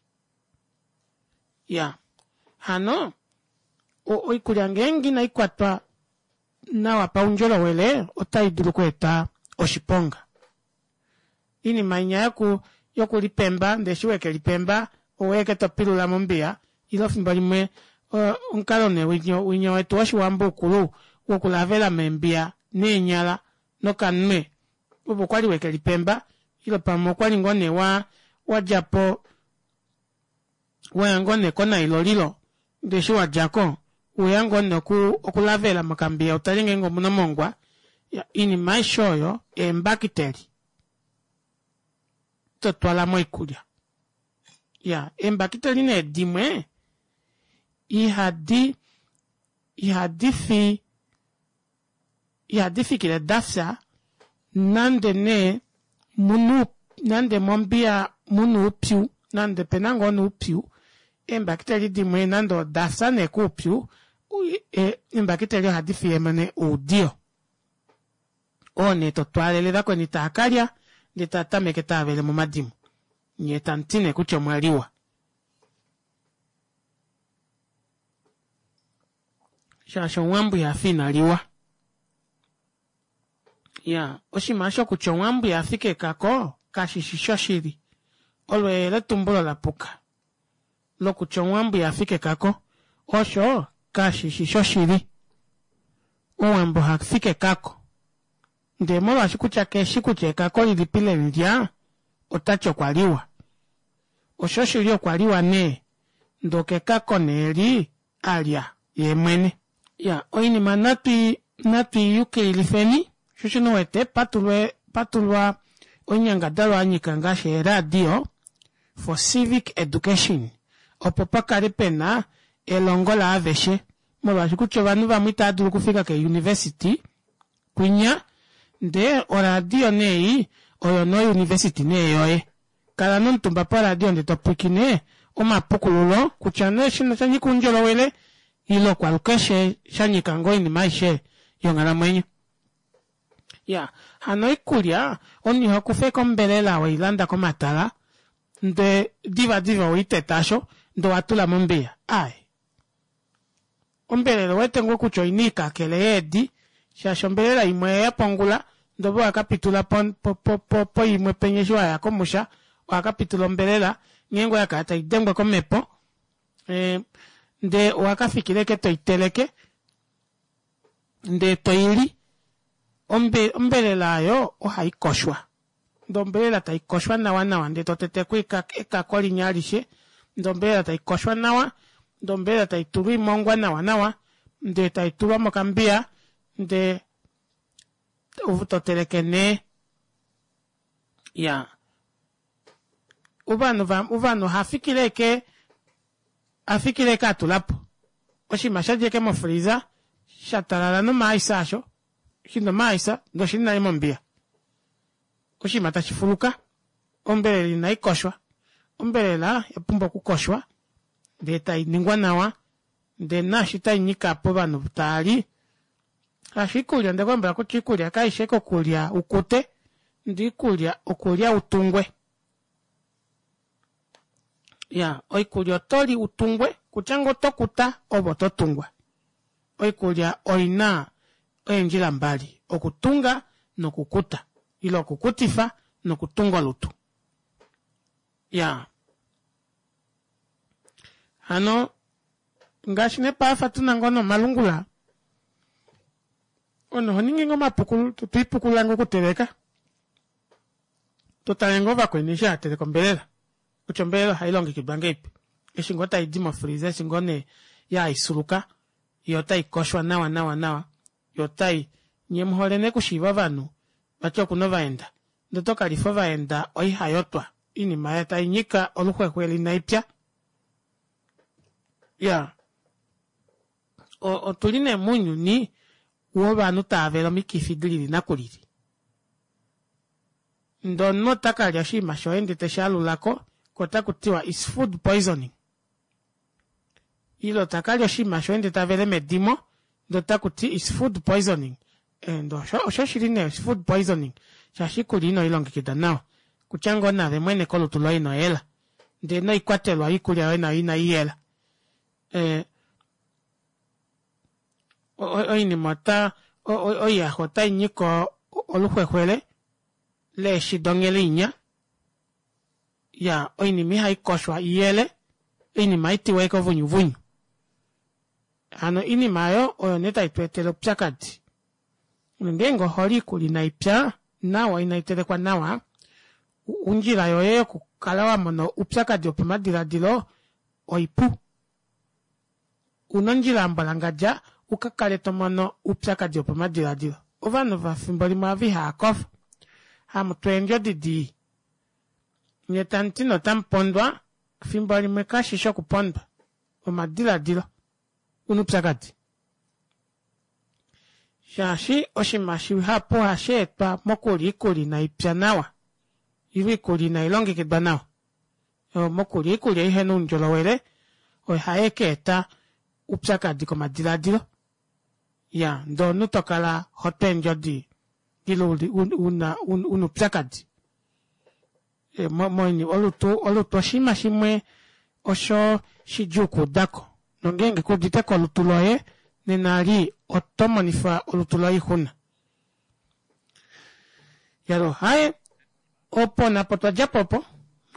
ya hano oikulya ngeenge inai kwatwa nawa paundjolowele otai dulu okweeta oshiponga Iinima inya yoku yokulipemba ndee eshi wekelipemba oweke topilula mombiya ile efimbo limwe omukalo nee winya wetu woshiwambo ukulu wokulavela meembiya neenyala nokanwe opo kwali wekelipemba ile pamwe okwali ngoo nee wa wadjapo waya ngoo nee konailolilo ndee eshi wadjako weya ngoo nee okulavela mokambiya utale ngeenge omuna omongwa iinima aishe oyo eembakiteli totwala moikulya ya eembakiteli nee dimwe ihadi ihadi fi ihadi fikile dafya nande nee munu nande mombiya muna oupyu nande pena ngoo noupyu eembakiteli dimwe nande odafya nee koupyu eembakiteli ohadi fiyemo nee oudiyo oo nee totwaalele vakweni taakalya ndee taatameke taavele momadimo nyee tamuti nee kutya omwaliwa shaashi omuwambo ihafi ina liwa ya oshinima osho kutya omuwambo ihafi kekako kashishi shoshili olo eyeletumbulo lapuka lokutya omuwambo ihafi kekako osho kashishi shoshili omuwambo hafi kekako ndee molwaashi kutya keshi kutya ekako lilipi lelilya otati okwa liwa oshoshili okwa liwa nee ndee okekako nee li alya yeemwene. Ya oinima natwi natwi yukililifeni sho osho u wete patulwe patulwa oinyangadalwa yanyika ngaashi eeradio. for civic education opo pa kale pe na elongo laaveshe molwaashi kutya ovanhu vamwe itava dulu okufika keeuniversity kwinya ndee oradio nee ei oyo nouniversity nee yoye kala nomutumba poradio ndee to pwiikine omapukululo kutya nee shino sha nyika oundjolowele ile okwalukeshe sha nyika ngoo oinima aishe yonghalamwenyo. Ya, hano oikulya omunhu iho kufa eke ombelela weilanda komatala nde diva diva oweiteta asho nde owatula mombiya. Aaye. Ombelela owete ngoo kutya oina oikakele yeedi shaashi ombelela imwe oyeya po ongula nde ove owakapitula po, po, po, po, poimwe penya eshi waya komusha owakapitula ombelela nghee ngoo yakala taidengwa komhepo e, nde owakafikila eke toiteleke ndee toili. Ombe, ombelela oyo ohai koshwa. Ndee ombelela tai koshwa nawa nawa ndee to tete ko ekako linya alishe, ndee ombelela tai koshwa nawa, ndee ombelela tai tulwa oimongwa nawa nawa, ndee tai tulwa mokambiya, ndee to teleke nee. Ya. Ovanhu va, ovanhu oha fikile eke, a fikile eke a tula po oshinima sha dja eke mofreezer sha talala nomaaisa asho, shi na omaaisa ndee oshili nale mombiya. Oshinima tashi fuluka. Ombelela inai koshwa. Ombelela oya pumbwa okukoshwa ndee tai ningwa nawa ndee naashi tai nyika povanhu taa li shaashi oikulya onde ku lombwela kutya oikulya kaishi ashike okulya ukute ndee oikulya okulya utungwe. Ya, oikulya oto li utungwe, kutya ngoo oto kuta ove oto tungwa. Oikulya oina eendjila mbali, okutunga nokukuta, ile okukutifa nokutunga olutu. Ya. Hano, ngaashi nee paife tuna ngoo nomalungula, omunhu oho ningi ngoo omapukululo, to ipukulula ngoo okuteleka. To tale ngoo vakweni eshi hava teleke ombelela kutya ombelela ohai longekidwa ngeipi eshi ngoo tai di mofreezer eshi ngoo nee yaisuluka yo otai koshwa nawa nawa nawa yo otai nye muhole nee okushiiva ovanhu vati okuna ovaenda ndee oto kalifa ovaenda oihayotwa oinima tai nyika oluxwexwe inaipya ya otuli nee mounyuni wovanhu tava vele omikifi dilili nakulili. Ndee omunhu ota ka lya oshinima shoye ndee teshi alula ko, ko otaku tiwa is food poisoning. Ile ta ka lya oshinima shoye ndee ta vele medimo, ndee otaku ti is food poisoning. Eh, ndee osho, osho shili nee is food poisoning, shaashi iikulya ino i longekida nawa. Kutya ngoo naave mwene kolutu loye ino yela. Ndee noikwatelwa yoikulya yoye nayo inai yela. Eh, oinima ota oiyaxa otai nyika oluxwexwele leeshi donghele inya ya oinima ihai koshwa iyele oinima haitiwa eke ovunyuvunyu hano oinima oyo oyo nee tai tu etele oupyakadi ngeenge oholi iikulya inai pya nawa inai telekwa nawa ondjila yoye yokukala wa mona oupyakadi wopamadiladilo oipu Una ondjila ya mbwalangadja u ka kale to mono oupyakadi wopamadiladilo. Ovanhu vafimbo limwe ava ihava kofa. Hamu tu eendjodi dii. Nye tamu ti nee otamu pondwa, fimbo limwe kashi shi okupondwa. Omadiladilo. Una oupyakadi. Shaashi oshinima shihapu ohashi etwa mokulya iikulya inai pya nawa, ile iikulya inai longekidwa nawa. Mokulya iikulya ihe na uundjolowele ohaye ka eta uupyakadhi komadiladilo. Ya, ndee omuntu to kala ho tu eendjodhi ile una una uupyakadhi. Olutu olutu oshinima shimwe osho shidjuu okuudako. Nongeenge ku udite ko olutu loye nena li oto monifa olutu loye oixuna. Yalo haye Opo napo twa dja po opo,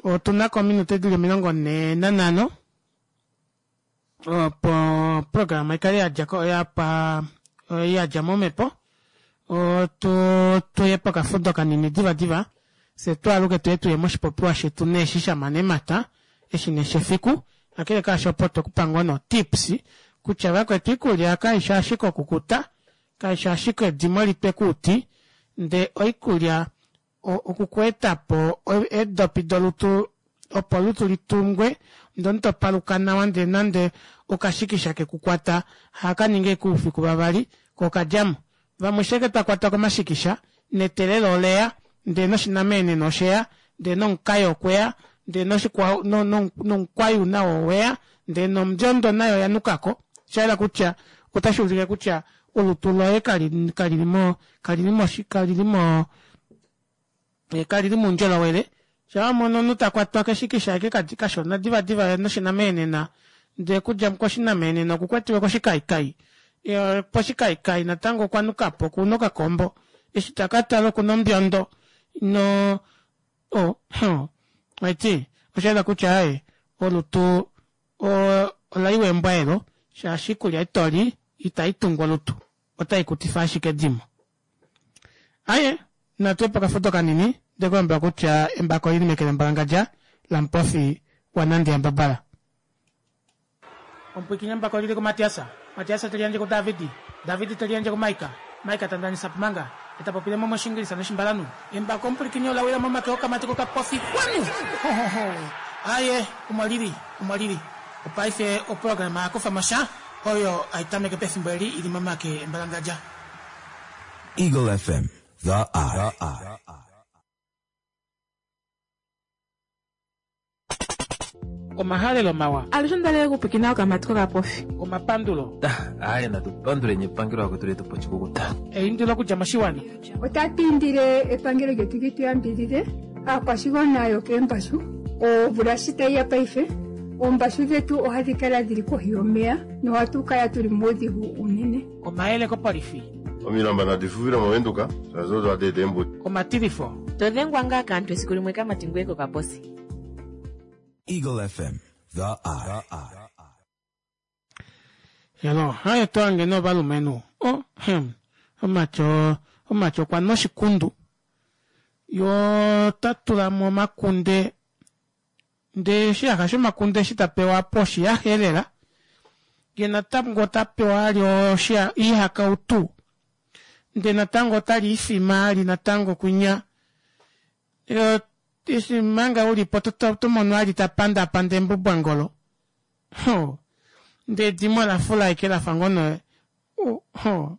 otu na ko ominute di li 45 opo oprograma i kale ya dja ko ya pa ya dja momhepo. Otu tuye pokafudo kanini divadiva, fye tu aluke tuye tuye moshipopiwa shetu nee eshi sha mana eemhata, eshi nee shefiku. Kakele kaasho opo twe ku pa ngoo nee otips kutya vakwetu oikulya kaishi ashike okukuta, Kaishi ashike edimo litwe kuuti, ndee oikulya okukueta po eedopi dolutu opo olutu litungwe ndee omunhu topaluka nawa ndee nande okashikisha kekukwata ohakaningi ashike oufiku vavali ko okadjamo. Vamwe sheke twakwatwa komashikisha netelelo oleya ndee noshinameeneno osheya ndee nomukayo okweya ndee noshikwao nomukwayu nao oweya ndee nombyondo nayo oyanukako shayela kutya otashuulike kutya olutu loye kalili mo kalili mo kalili moundjolowele shaa wamono omunhu takwatwa keshikisha ashike kashona divadiva ye noshinameenena ndee okudja koshinameenena okukwetiwe koshikaikai poshikaikai natango okwanukapo okuna okakombo eshi takatala okuna ombyondo no oh, haiti oshayela kutya aaye olutu olaiwa embwaelo shaashi oikulya ei toli itaitungu olutu otaikutifa ashike edimo. Aye, natu ye pokafudo kanini, nde ku lombwela kutya embako oli li meke lembwalangadja laMupofi waNandi yaMbabala. Omupwiikini embako oli li kuMatias, Matias te li yandje kuDavid, David te li yandje kuMaika, Maika ta ndanisa pmanga, e ta popile mo mOshiingilisa nOshimbalanhu. Embako omupwilikini ola wila momake okamati kokapofi xwanu! Ho, ho, ho! Aye, omo li li, omo li li. Opaife oprograma ya kufa mo sha, oyo hai tameke pefimbo eli i li momake embalangadja. Eagle FM, the eye. Omahalelo mawa. Alushe onda li okupwikina okamati kokapofi. Omapandulo. Aye natu panduleni epangelo lakwetu letu po oshikukuta. Eindilo okudja moshiwana. Otatu indile epangelo lyetu li tu yambidhidhe aakwashigwana yokeembashu. Omvula shi tayi ya paife, oombashu dhetu ohadhi kala dhili kohi yomeya nohatu kala tuli muudhigu uunene. Omayele kopolifi. Omilamba nadi fufile mOvenduka, shaashi odo hadi eta eembuto. Omatilifo. To dhengwa ngaa kaantu esiku limwe kamati ngoye kokaposi. Eagle FM, the eye. Hello, haye to hange novalumenhu. Oh, hem. Omatyo, omatyo okwa noshikundu. Yo ta tula mo omakunde Ndee oshiyaxa shomakunde eshi ta pewa apo oshiyaxa elela, ye natango ota pewa ali oihakautu, ndee natango otali ifima ali natango kwinya. Eshi manga ulipo oto mono ali ta pandaapanda embubwangolo. Ho! Ndee edimo ola fula ashike lafa ngoo nee ho!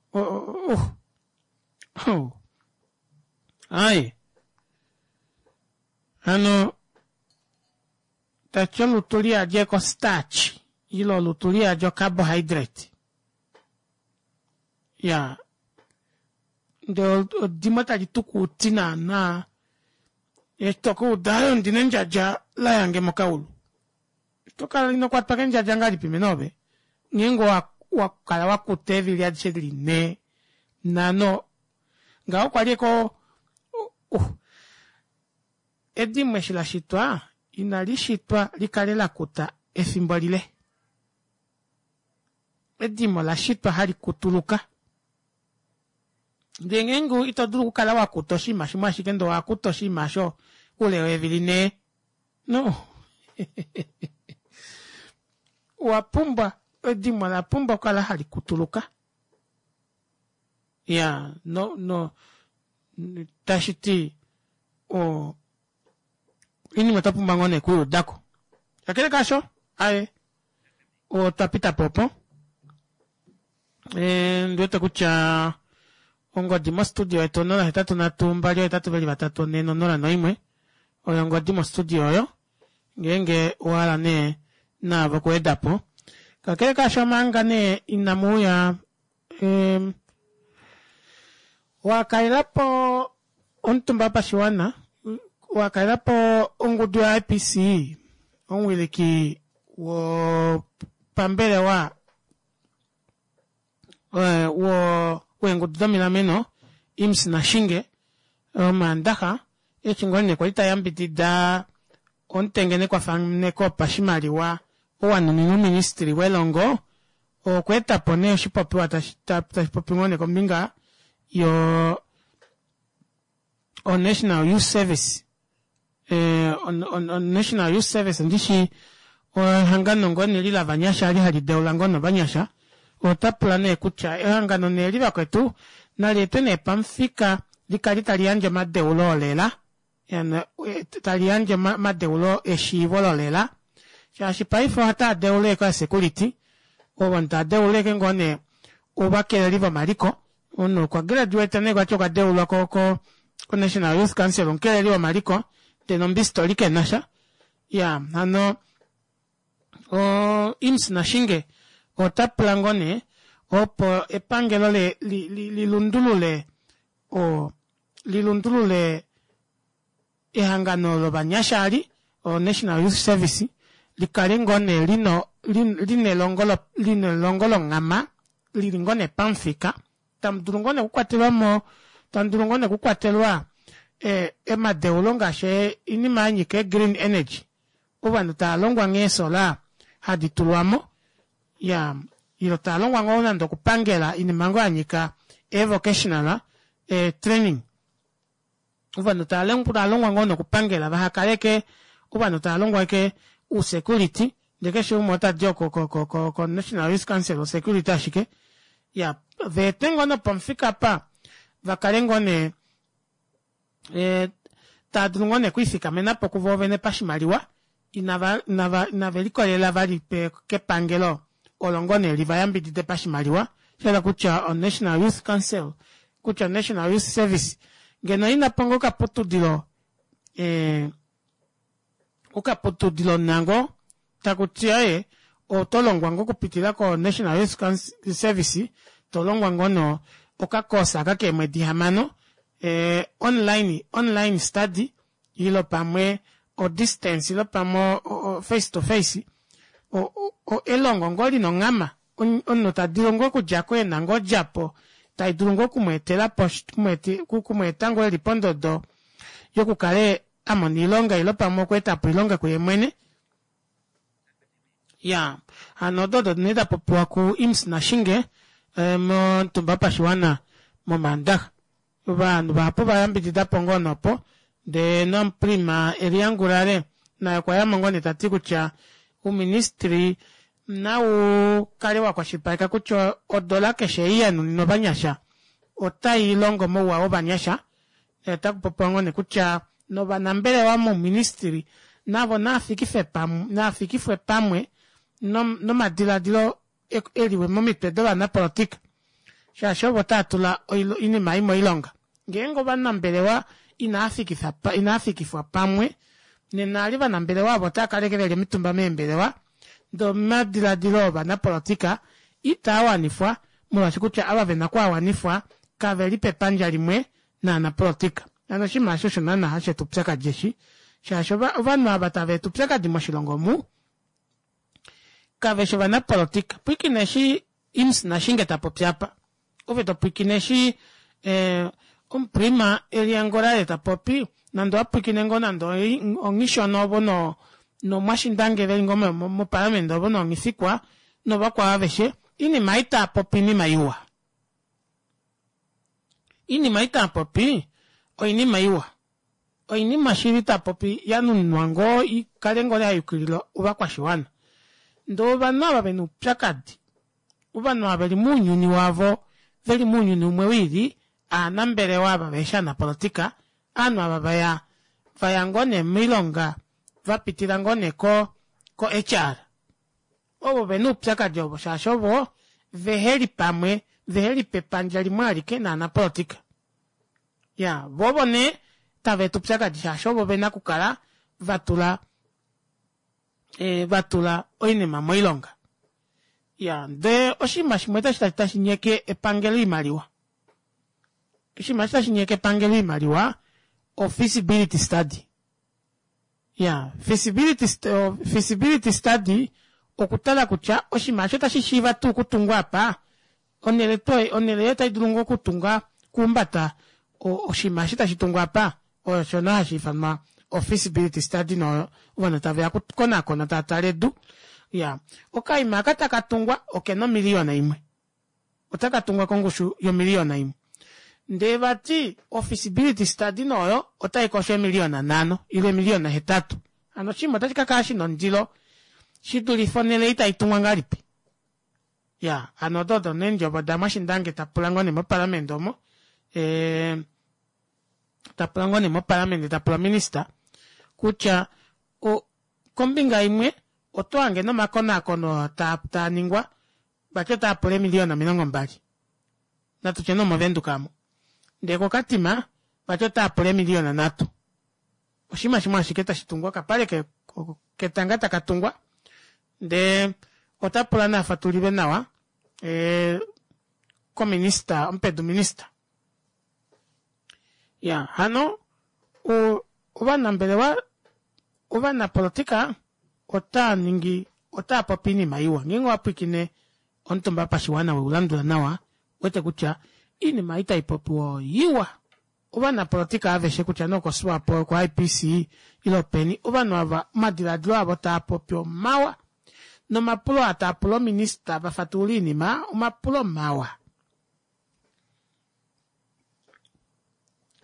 Ho! Aaye. Hano tati olutu liyadi eko starch ile olutu liyadi ocarbohydrate. Ya ndee edimo tali tukuuti naana eshi tokuuda aye ondina endjadja layange mokaulu. Oto kala ino kwatwa kendjadja ngahelipi mene ove ngeenge wa kala wa kuta eevili adishe dili nhee nhano ngaho okwa li eko uh, edimo eshi la shitwa inali shitwa li kale la kuta efimbo lile. Edimo la shitwa hali kutuluka. Ndele ngeenge ito dulu okukala wa kuta oshinima shimwe ashike ndele owa kuta oshinima osho oule weevili nhee No. Owa pumbwa, edimo ola pumbwa okukala hali kutuluka. Ya, no, no, tashi ti, o, oinima otwa pumbwa ngoo nee okuyuudako. Kakele kaasho, aye, otwa pita po opo. E, ndi wete kutya ongodi mostudio yetu 083 2 8 4 0 1 oyo ongodi mostudio oyo ngeenge owa hala nee naave okuweda po. Kakele kaasho manga nee inamu uya um, wa kalela po omutumba wopashiwana wa kalela po ongudu ya-IPC omuwiliki wopambelewa eh, wo weengudu domilameno Imms Nashinge Omaandaxa eshi ngoo nee kwali ta yambidida omutengenekwafaneko wopashimaliwa oo wa nuninwa ouministili welongo okweeta po nee oshipopiwa tashi popi ngoo nee kombinga yo o-National Youth Service eh, on-National Youth Service ndishi ehangano ngoo nee li lavanyasha li hali deula ngoo novanyasha ota pula nee kutya ehangano nee li vakwetu nali etwe nee pamufika li kale tali yandje omadeulo olela. Tali yandje omadeulo eshiivo lolela shaashi paife ohataa deula ashike oosecurity ovanhu tava deula ashike ngoo nee ovakeleli vomaliko omunhu okwa graduate nee vati okwa deulwa ko ko ko-national youth council omukeleli womaliko ndee nombistoli kenasha ya hano o Imms Nashinge ota pula ngoo nee opo epangelo le li, li, li lundulule o li lundulule ehangano lovanyasha ali o National Youth Service li kale ngoo nee lino lina elongo lina elongo longhama lili ngoo nee pamufika tamu dulu ngoo nee okukwatelwa mo tamu dulu ngoo nee okukwatelwa eh, emadeulo ngaashi oinima ya nyika green energy ovanhu tava longwa nghee eesola hadi tulwa mo ya ilo tava longwa ngoo nande okupangela oinima ngoo ya nyika eevocational eh, training ovanhu tava longwa ngoo nokupangela vaha kaleke ovanhu tava longwa ke usecurity ndee keshe umwe otadi oko ko ko ko ko National Youth Council osecurity ashike ya veete ngoo nopomufika apa vakale ngoo nee e, tava dulu ngoo nee okwiifikamena po kuvo vene pashimaliwa inava inava inave likolelela vali pe kepangelo olo ngoo nee li va yambidide pashimaliwa sha kutya o National Youth Council kutya National Youth Service ngeno ina po ngoo okaputudilo eh, okaputudilo nango taku ti aye oto longwa ngoo okupitila ko National Youth Service to longwa ngoo no okakosa aka keemwedi hamano eh, online online study ilo pamwe o distance ilo pamwe o, o face to face o, o, o elongo ngoo lina onghama omunhu ta dulu ngoo okudja ko ena ngoo odjapo tai dulu ngoo okumweetela po okumweeta ngoo eli pondodo yokukale a mona oilonga ile pamwe okweeta po oilonga kuye mwene ya hano odo odo nee da popiwa ku Imms Nashinge eh, momutumba wopashiwana momaandaxa ovanhu vahapu va yambidida po ngoo nopo ndee nomuprima Elia Ngurare naye okwa yamo ngoo nee ta ti kutya ouministry nau kale wa kwashilipaleka kutya odola keshe ei ya nuninwa ovanyasha otai longo mouwa wovanyasha Otaku popiwa ngoo nee kutya novanambelewa mouministili navo naafikife pamwe, naafikifwe pamwe nomadiladilo eliwe momitwe dovanapolotika shaashi ovo tava tula oinima ei moilonga. Ngeenge ovanambelewa inaa fikifwa pamwe nena ali ovanambelewa ovo otava kala ashike veli omitumba meembelewa ndee omadiladilo ovanapolotika itaa wanifwa molwaashi kutya ava vena okuawanifwa kave li pepandja limwe naanapolotika. Hano oshinima eshi osho naana hashi eta oupyakadi eshi, shaashi ovanhu ava tava eta oupyakadi moshilongo omu kave shi ovanapolotika. Pwiikina eshi Imms Nashinge ta popi apa. Ove to pwiikine eshi eh, omuprima Elia Ngurare ta popi, nande owa pwiikine ngoo nande onghishona ovo no nomwashindange veli ngoo mopalamende ovo nonghifikwa novakwao aveshe, inima ei taa popi inima iwa. Iinima ei taa popi oinima iwa. Oinima shili ta popi ya nuninwa ngoo i kale ngoo ya yukilila ovakwashiwana. Ndee ovanhu ava vena oupyakadi, ovanhu ava veli mounyuni wavo, veli mounyuni umwe wiili, aanambelewa ava veheshi aanapolitika, aanhu ava vaya vaya ngoo nee moilonga va pitila ngoo nee ko ko HR. Ovo ve na oupyakadi ovo shaashi ovo vehe li pamwe, vehe li pepandja limwe alike naanapolotika. Ya, vo ovo nee tava eta oupyakadi shaashi ovo ve na okukala va tula e, va tula oinima moilonga. Ya, ndee oshinima shimwe tashi tashi nyeke epangelo oimaliwa. Oshinima eshi tashi nyeke epangelo oimaliwa o-feasibility study. Ya, feasibility, feasibility study okutala kutya oshinima osho otashi shiiva tuu okutungwa apa, onhele to onhele oyo otai dulu ngoo okutunga okuhumbata oshinima eshi tashi tungwa apa, osho nee hashi ifanwa o-feasibility study no ovanhu tave ya okukonakona tava tale edu. Ya, okaima aka taka tungwa okena omiliyona imwe. otaka tungwa kongushu yomiliyona imwe ndee vati ofeasibility study noyo otai kosho eemiliyona nhano ile eemiliyona hetatu hano oshinima otashi ka kala shina ondilo shi dulife onhele ei tai tungwa ngahelipi ya hano odo odo neendjovo daMwashindange ta pula ngoo nee mopalamende omo e, Ta pula ngoo nee mopalamende ta pula minista kutya o, kombinga imwe oto hange nomakonaakono oo taa taa ningwa vati otaa pula eemiliyona 20 natu tye nee omovenduka amu ndee kokatima vati otaa pula eemiliyona nhatu oshinima shimwe ashike tashi tungwa okapale ke, ketanga taka tungwa ndee ota pula naa fatulilwe nawa e, kominista omupedu minista ya hano ovanambelewa ovanapolotika otaa ningi otaa popi iinima iwa ngeenge owa pwiikine omutumba wopashiwana weu landula nawa wete kutya iinima ei tai popiwa oiwa ovanapolotika aveshe kutya nee okoSwapo okoIPC ile openi ovanhu ava omadilaadilo avo taa popi omawa nomapulo aa taa pula ominista va fatulule oinima omapulo mawa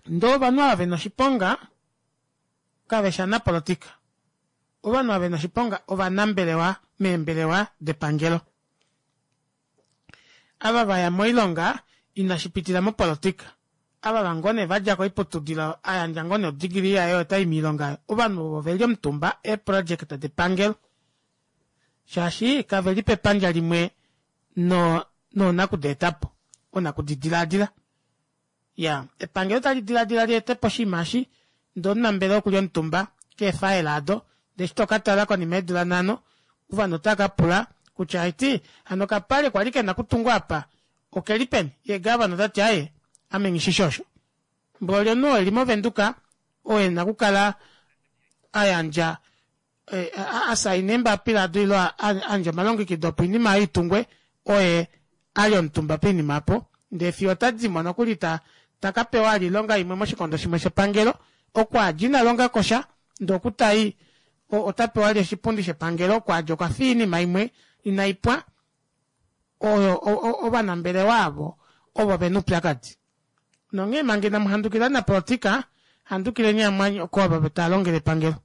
Ndee ovanhu ava vena oshiponga kave shi anapolotika. Ovanhu ava vena oshiponga ovanambelewa meembelewa depangelo. Ava va ya moilonga inashi pitila mopolotika. Ava va ngoo nee va dja koiputudilo a yandja ngoo nee odegree yaye ota i miilonga ovanhu ovo ve li omutumba eeproject depangelo shaashi kave li pepandja limwe no noonakudeetapo, oonakudidilaadila. Ya, epangelo tali diladila li ete po oshinima eshi, ndee omunambelewa oku li omutumba keefaela ado, ndee eshi to ka tala konima yeedula nhano, ovanhu otava ka pula kutya aiti, hano okapale kwali ke na okutungwa apa oke li peni? Ye gavana ota ti aye, ame nghi shi shi osho. Mboli omunhu oo e li mOvenduka oo e na okukala a yandja a saina eembapila ado ile a yandje omalongekido opo oinima oyo i tungwe oye a li omutumba poinima opo ndee fiyo ota dimo nokuli ta ta ka pewa ali oilonga imwe moshikondo shimwe shepangelo oko a dja ina longa ko sha ndee oku ta i ota pewa ali oshipundi shepangelo oko a dja okwa fiya oinima imwe inai pwa oyo ovanambelewa avo ovo ve na oupyakadi nonghee manga inamu handukila ovanapolotika handukileni amwanyoko ovo tava longele epangelo.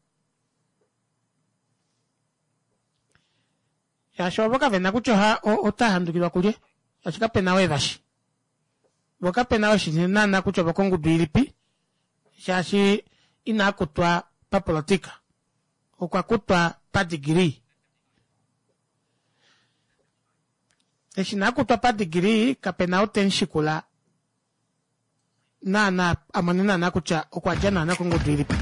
Shaashi ovo kave na kutya oha ota handukilwa kulye, shaashi kape na oo evashi. Vo kape na oo eshi naana kutya ovokongudu ilipi, shaashi inaa kutwa papolotika, okwa kutwa padegree. Eshi inaa kutwa padegree, kape na ou te mu shikula naana a mone naana kutya okwa dja naana kongudu ilipi.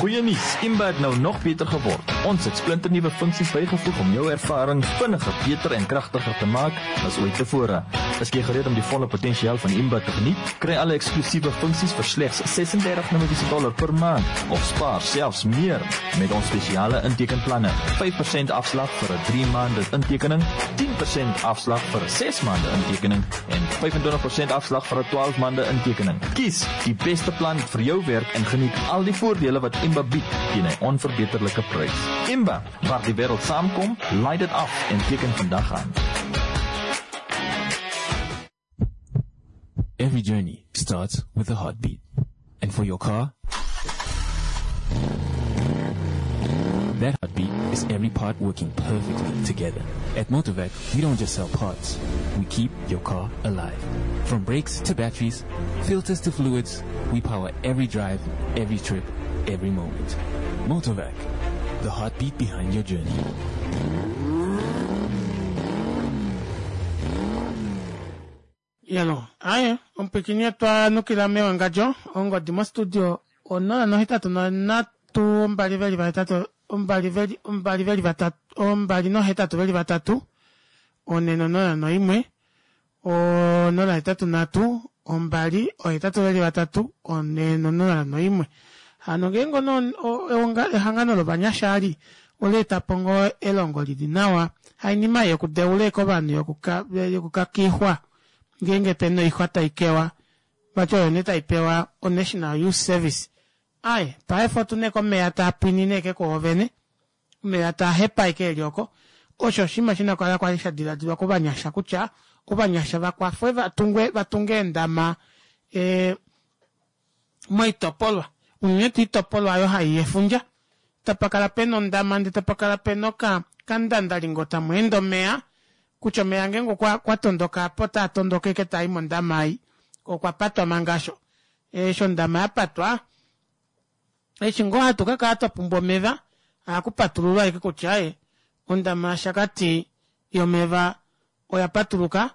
Goeie nuus, Imba het nou nog beter geword. Ons het splinternuwe funksies bygevoeg om jou ervaring vinniger, beter en kragtiger te maak as ooit tevore. Is jy gereed om die volle potensiaal van Imba te geniet? Kry alle eksklusiewe funksies vir slegs 36 Namibiese dollar per maand of spaar selfs meer met ons spesiale intekenplanne. 5% afslag vir 'n 3 maande intekening, 10% afslag vir 'n 6 maande intekening en 25% afslag vir 'n 12 maande intekening. Kies die beste plan vir jou werk en geniet al die voordele wat Imba bied teen 'n onverbeterlike prys. Imba, waar die wêreld saamkom, laai dit af en teken vandag aan. Every journey starts with a heartbeat. And for your car, that heartbeat is every part working perfectly together. At Motorvac, we don't just sell parts. We keep your car alive. From brakes to batteries, filters to fluids, we power every drive, every trip, every moment. Motorvac, the heartbeat behind your journey. Yalo, aye, omupwikini otwa nukila mewangadjo, ongodi mostudio onola nohetatu nonhatu ombali veli vahetatu ombali veli ombali veli vatatu ombali nohetatu veli vatatu one nonola noimwe onola hetatu nhatu ombali ohetatu veli vatatu one nonola noimwe hano ngeenge ono ehangano lovanyasha ali ola eta po ngoo elongo lili nawa hainima yokudeula eke ovanhu yokukakixwa ngeenge pena oixwa tai kewa vati oyo nee tai pewa oNational Youth Service. Aye, paife otu na eke omeya taa pwinine eke kwoovene, omeya taa hepa eke eli oko. Osho oshinima shi na okukala kwali sha diladilwa kovanyasha kutya ovanyasha va kwafwe va tungwe va tunge eendama e, moitopolwa unene tuu oitopolwa oyo hai efundja tapa kala pena ondama ndee tapa kala pena oka kandandalingo tamu ende omeya kutya omeya ngeenge okwa kwa tondoka apo otaa tondoka eke taa i mondama ei okwa patwa manga asho. Eshi ondama ya patwa, eshi ngoo hatu ka kala twa pumbwa omeva, ohaku patululwa ashike kutya aaye, ondama yaShakati yomeva oya patuluka,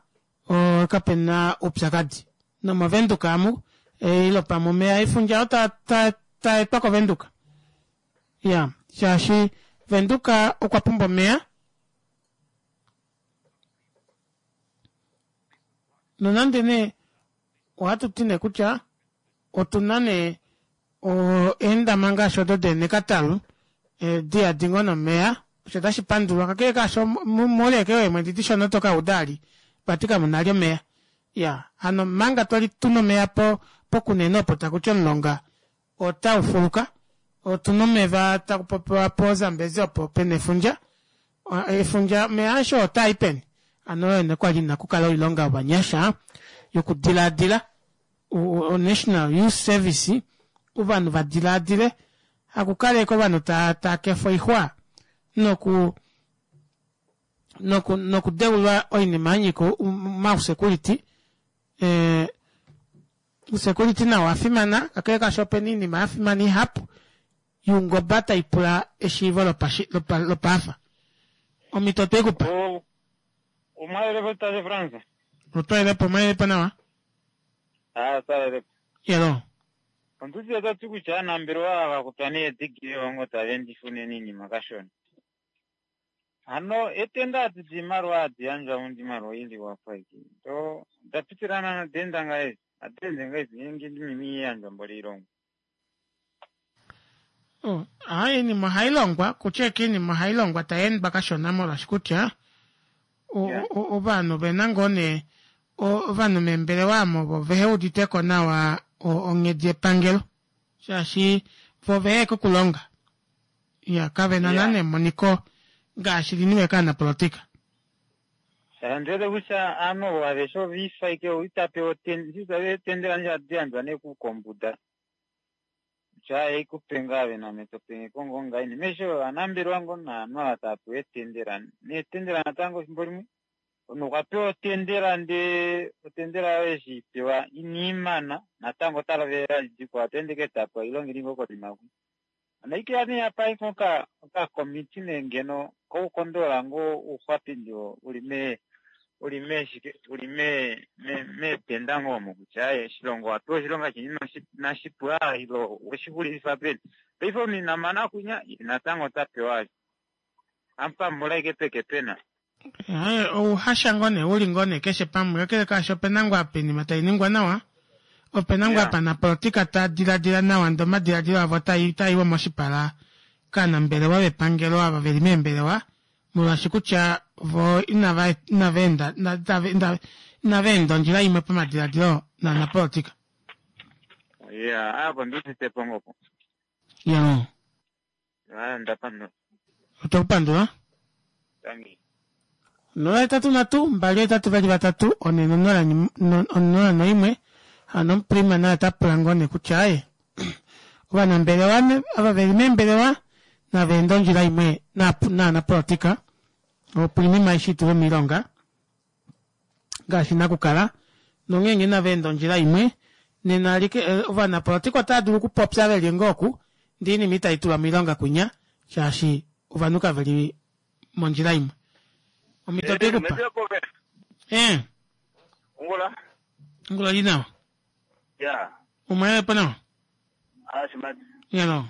kape na oupyakadi. NomOvenduka amu, ile pamwe omeya efundja oo taa etwa kOvenduka. Ya, shaashi Venduka okwa pumbwa omeya. Nonande nee ohatu ti nee kutya otu na nee eendama ngaashi odo deenekatalu di yadi ngoo nomeya osho tashi pandulwa kakele kaasho moule ashike weemwedi dishona oto ka uda ali vati kamu na ali omeya. Ya hano manga twali tuna omeya po pokunene opo taku ti omulonga otau fuluka otuna omeva taku popiwa po Zambezi opo pena efundja efundja omeya aeshe oo otaa i peni? Hano oyo nee kwali ina kukala oilonga yovanyasha yokudilaadila o National Youth Service ovanhu va dilaadile hakukala ashike ovanhu taa taa kefa oixwa noku noku nokudeulwa oinima ya nyika omausekuliti eh, Ousekuliti nao owa fimana, kakele kaasho ope na oinima ya fimana ihapu youngoba tai pula eshiivo lopaafa. Omhito otwe i ku pa. Omwalelepo tate Frans. Otwalelepo, omwalelepo nawa? Aa, otwalelepo. Yelo. Onduti ta ti kutya aanambelewa ava kutwa needigili ongo tava endifa unene iinima kashona. Hano etenda adi diimaliwa hadi yandjwa mondimaliwa oiliwa po aike. Do oda pitilana noda enda ngahelipi? Ohadi ende ngahelipi ngeenge oinima ihai yandjwa mboli oilongwa? Oh, aa oinima ohai longwa kutya eke oinima ohai longwa tai endwa kashona molwaashi kutya ovanhu ove na ngoo nee ovanhu meembelewa omo vo vehe udite ko nawa onghedi yepangelo shaashi vo vehe kokulonga Ya, kave na nana emoniko ngaashi li niwe kaanapolotika. Sha ndi wete kutya aanhu ovo aveshe ova ifa ashike ou ita pewa eetendela ndje hadi yandjwa nee kukombuda kutya ei ku pe ngaa ave name to penge ko ngoo ngaini mesho ovanambelewa ngoo naanhu ava tava pewa eetendela neetendela natango efimbo limwe omunhu okwa pewa otendela ndee otendela oyo eshi pewa ina imana natango ota lovelela dikwao ota ende ke ta pewa oilonga ili ngoo konima kwi Onaikeya nee apa iko okakomiti nee ngeno koukondolola ngoo ouxwapindi oo uli me uli meeshike uli me meetenda ngoo omo kutya aaye oshilongo owa pewa oshilonga sheni inashi pwa ile oweshi xulifa peni. Paife omunhu ina mana kunya ye natango ota pewa vali. Amupambula ashike peke pena. Ouhasha ngoo nee uli ngoo nee keshe pamwe kakele kaasho opena ngoo apa oinima tai ningwa nawa opena ngoo apa anapolitika taa diladila nawa ndee omadiladilo avo otaa iwa moshipala kaanambelewa vepangelo ava veli meembelewa molwaashi kutya vo inava inava enda inava enda ondjila imwe pamadiladilo naanapolitika. Ya, apo ndiudite po ngoo po. Ya. Aa, nda pandula. Otwe ku pandula. Tangi. 0 8 3 2 8 2 3 4 0 0 1 Hano omuprima naye ota pula ngoo nee kutya aye ovanambelewa ava veli meembelewa nava ende ondjila imwe naanapolotika opo oinima aishe itulwe moilonga ngaashi nakukala nongeenge inava enda ondjila imwe nena alike eh, ovanapolotika otava dulu okupopya ve li ngoo oku ndee oinima itai tulwa moilonga kunya shaashi ovanhu kave li mondjila imwe omhito otwe ku pa eh Ongula. ongula oli nawa Ya. umwe po nawa Ah, shimati. yalo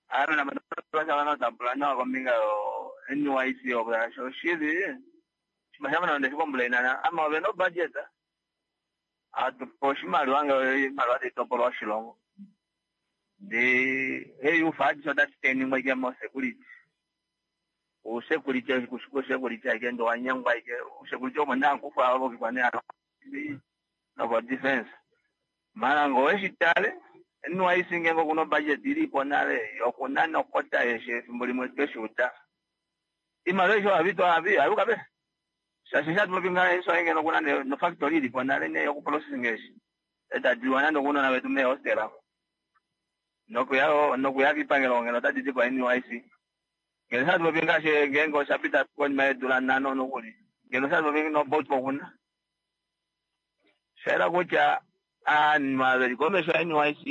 Ame nama tambula nawa kombinga yo NYC opo oshili shimashama nande shikomplainana ama ove no budget atupe oshimaliwa ngee oimaliwa taitopolwa oshilongo ndee eyufa adishe otati teningwa ike mosecurity usecurity usecurity aike ndee wanyengwa ike usecurity omo nee hakufa olokikwa nee novo defense mara ngee oweshitale NYC ngeenge okuna obudget ilipo nale yokunana okota eshi efimbo limwe tweshiuda iimaliwa aishe ohavitwa havi hayuka pe shaashi eshi hatupopi ngaha eshi oye ngeno okuna nofactory ilipo nale nee yokuprocessing eshi etadiwa nande okunona vetu meehostela nokuya nokuya kiipangelo ngeno otadi di ko NYC ngeno eshi hatupopi ngaashi ngeenge oshapita konima yeedula nhano nokuli ngeno eshi hatupopi noboat okuna shayela kutya Aanhu ava veli komesho yaNYC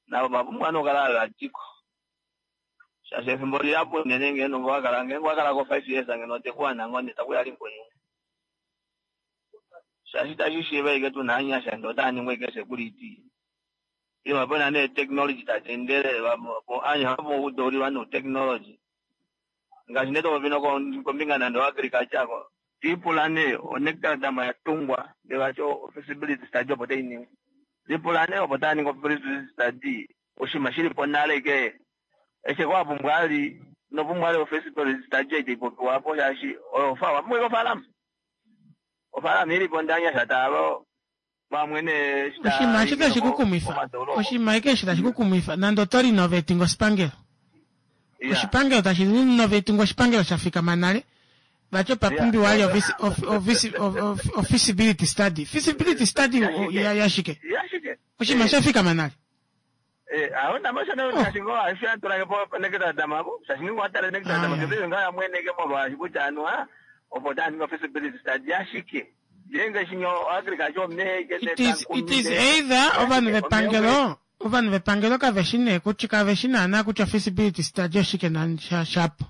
navo vapumbwa nee okukala hava diko shaashi efimbo lihapu unene ngeenge owakala ngeenge owakalako 5 years ngeno otekuwana ngoo nee takuya linkwenyu shaashi itashi shiiva ashike tuna ovanyasha ndee otava ningwa ashike security ile pena nee technology tadi endelele ovanyasha vapumbwa okudeulilwa noutechnology ngaashi nee topopi kombinga nande oagriculture ko lipula nee onectar dam yatungwa ndee vati ofeasibility study opo tainingwa lipula nee opo taaningi ofeasibility study oshinima shilipo nale ke eshi wapumbwa ali inopumbwa ali ofeasibility study ei taipopiwa apo shaashi oyo wapumbwa ashike ofaalama ofaalama ilipo ndee ovanyasha taalo vamwe nee eshi Oshinima eshi tashi ku kumwifa oshinima eke eshi tashi ku kumwifa nande oto renovating oshipangelo oshipangelo tashi renovating oshipangelo sha fikama nale vati opa pumbiwa ali ofeasibility study feasibility study yashike oshinima sha fikama nale It is, it is either ovanhu vepangelo ovanhu vepangelo kave shi nee kutya kave shi naanaa kutya feasibility study oshike na shapo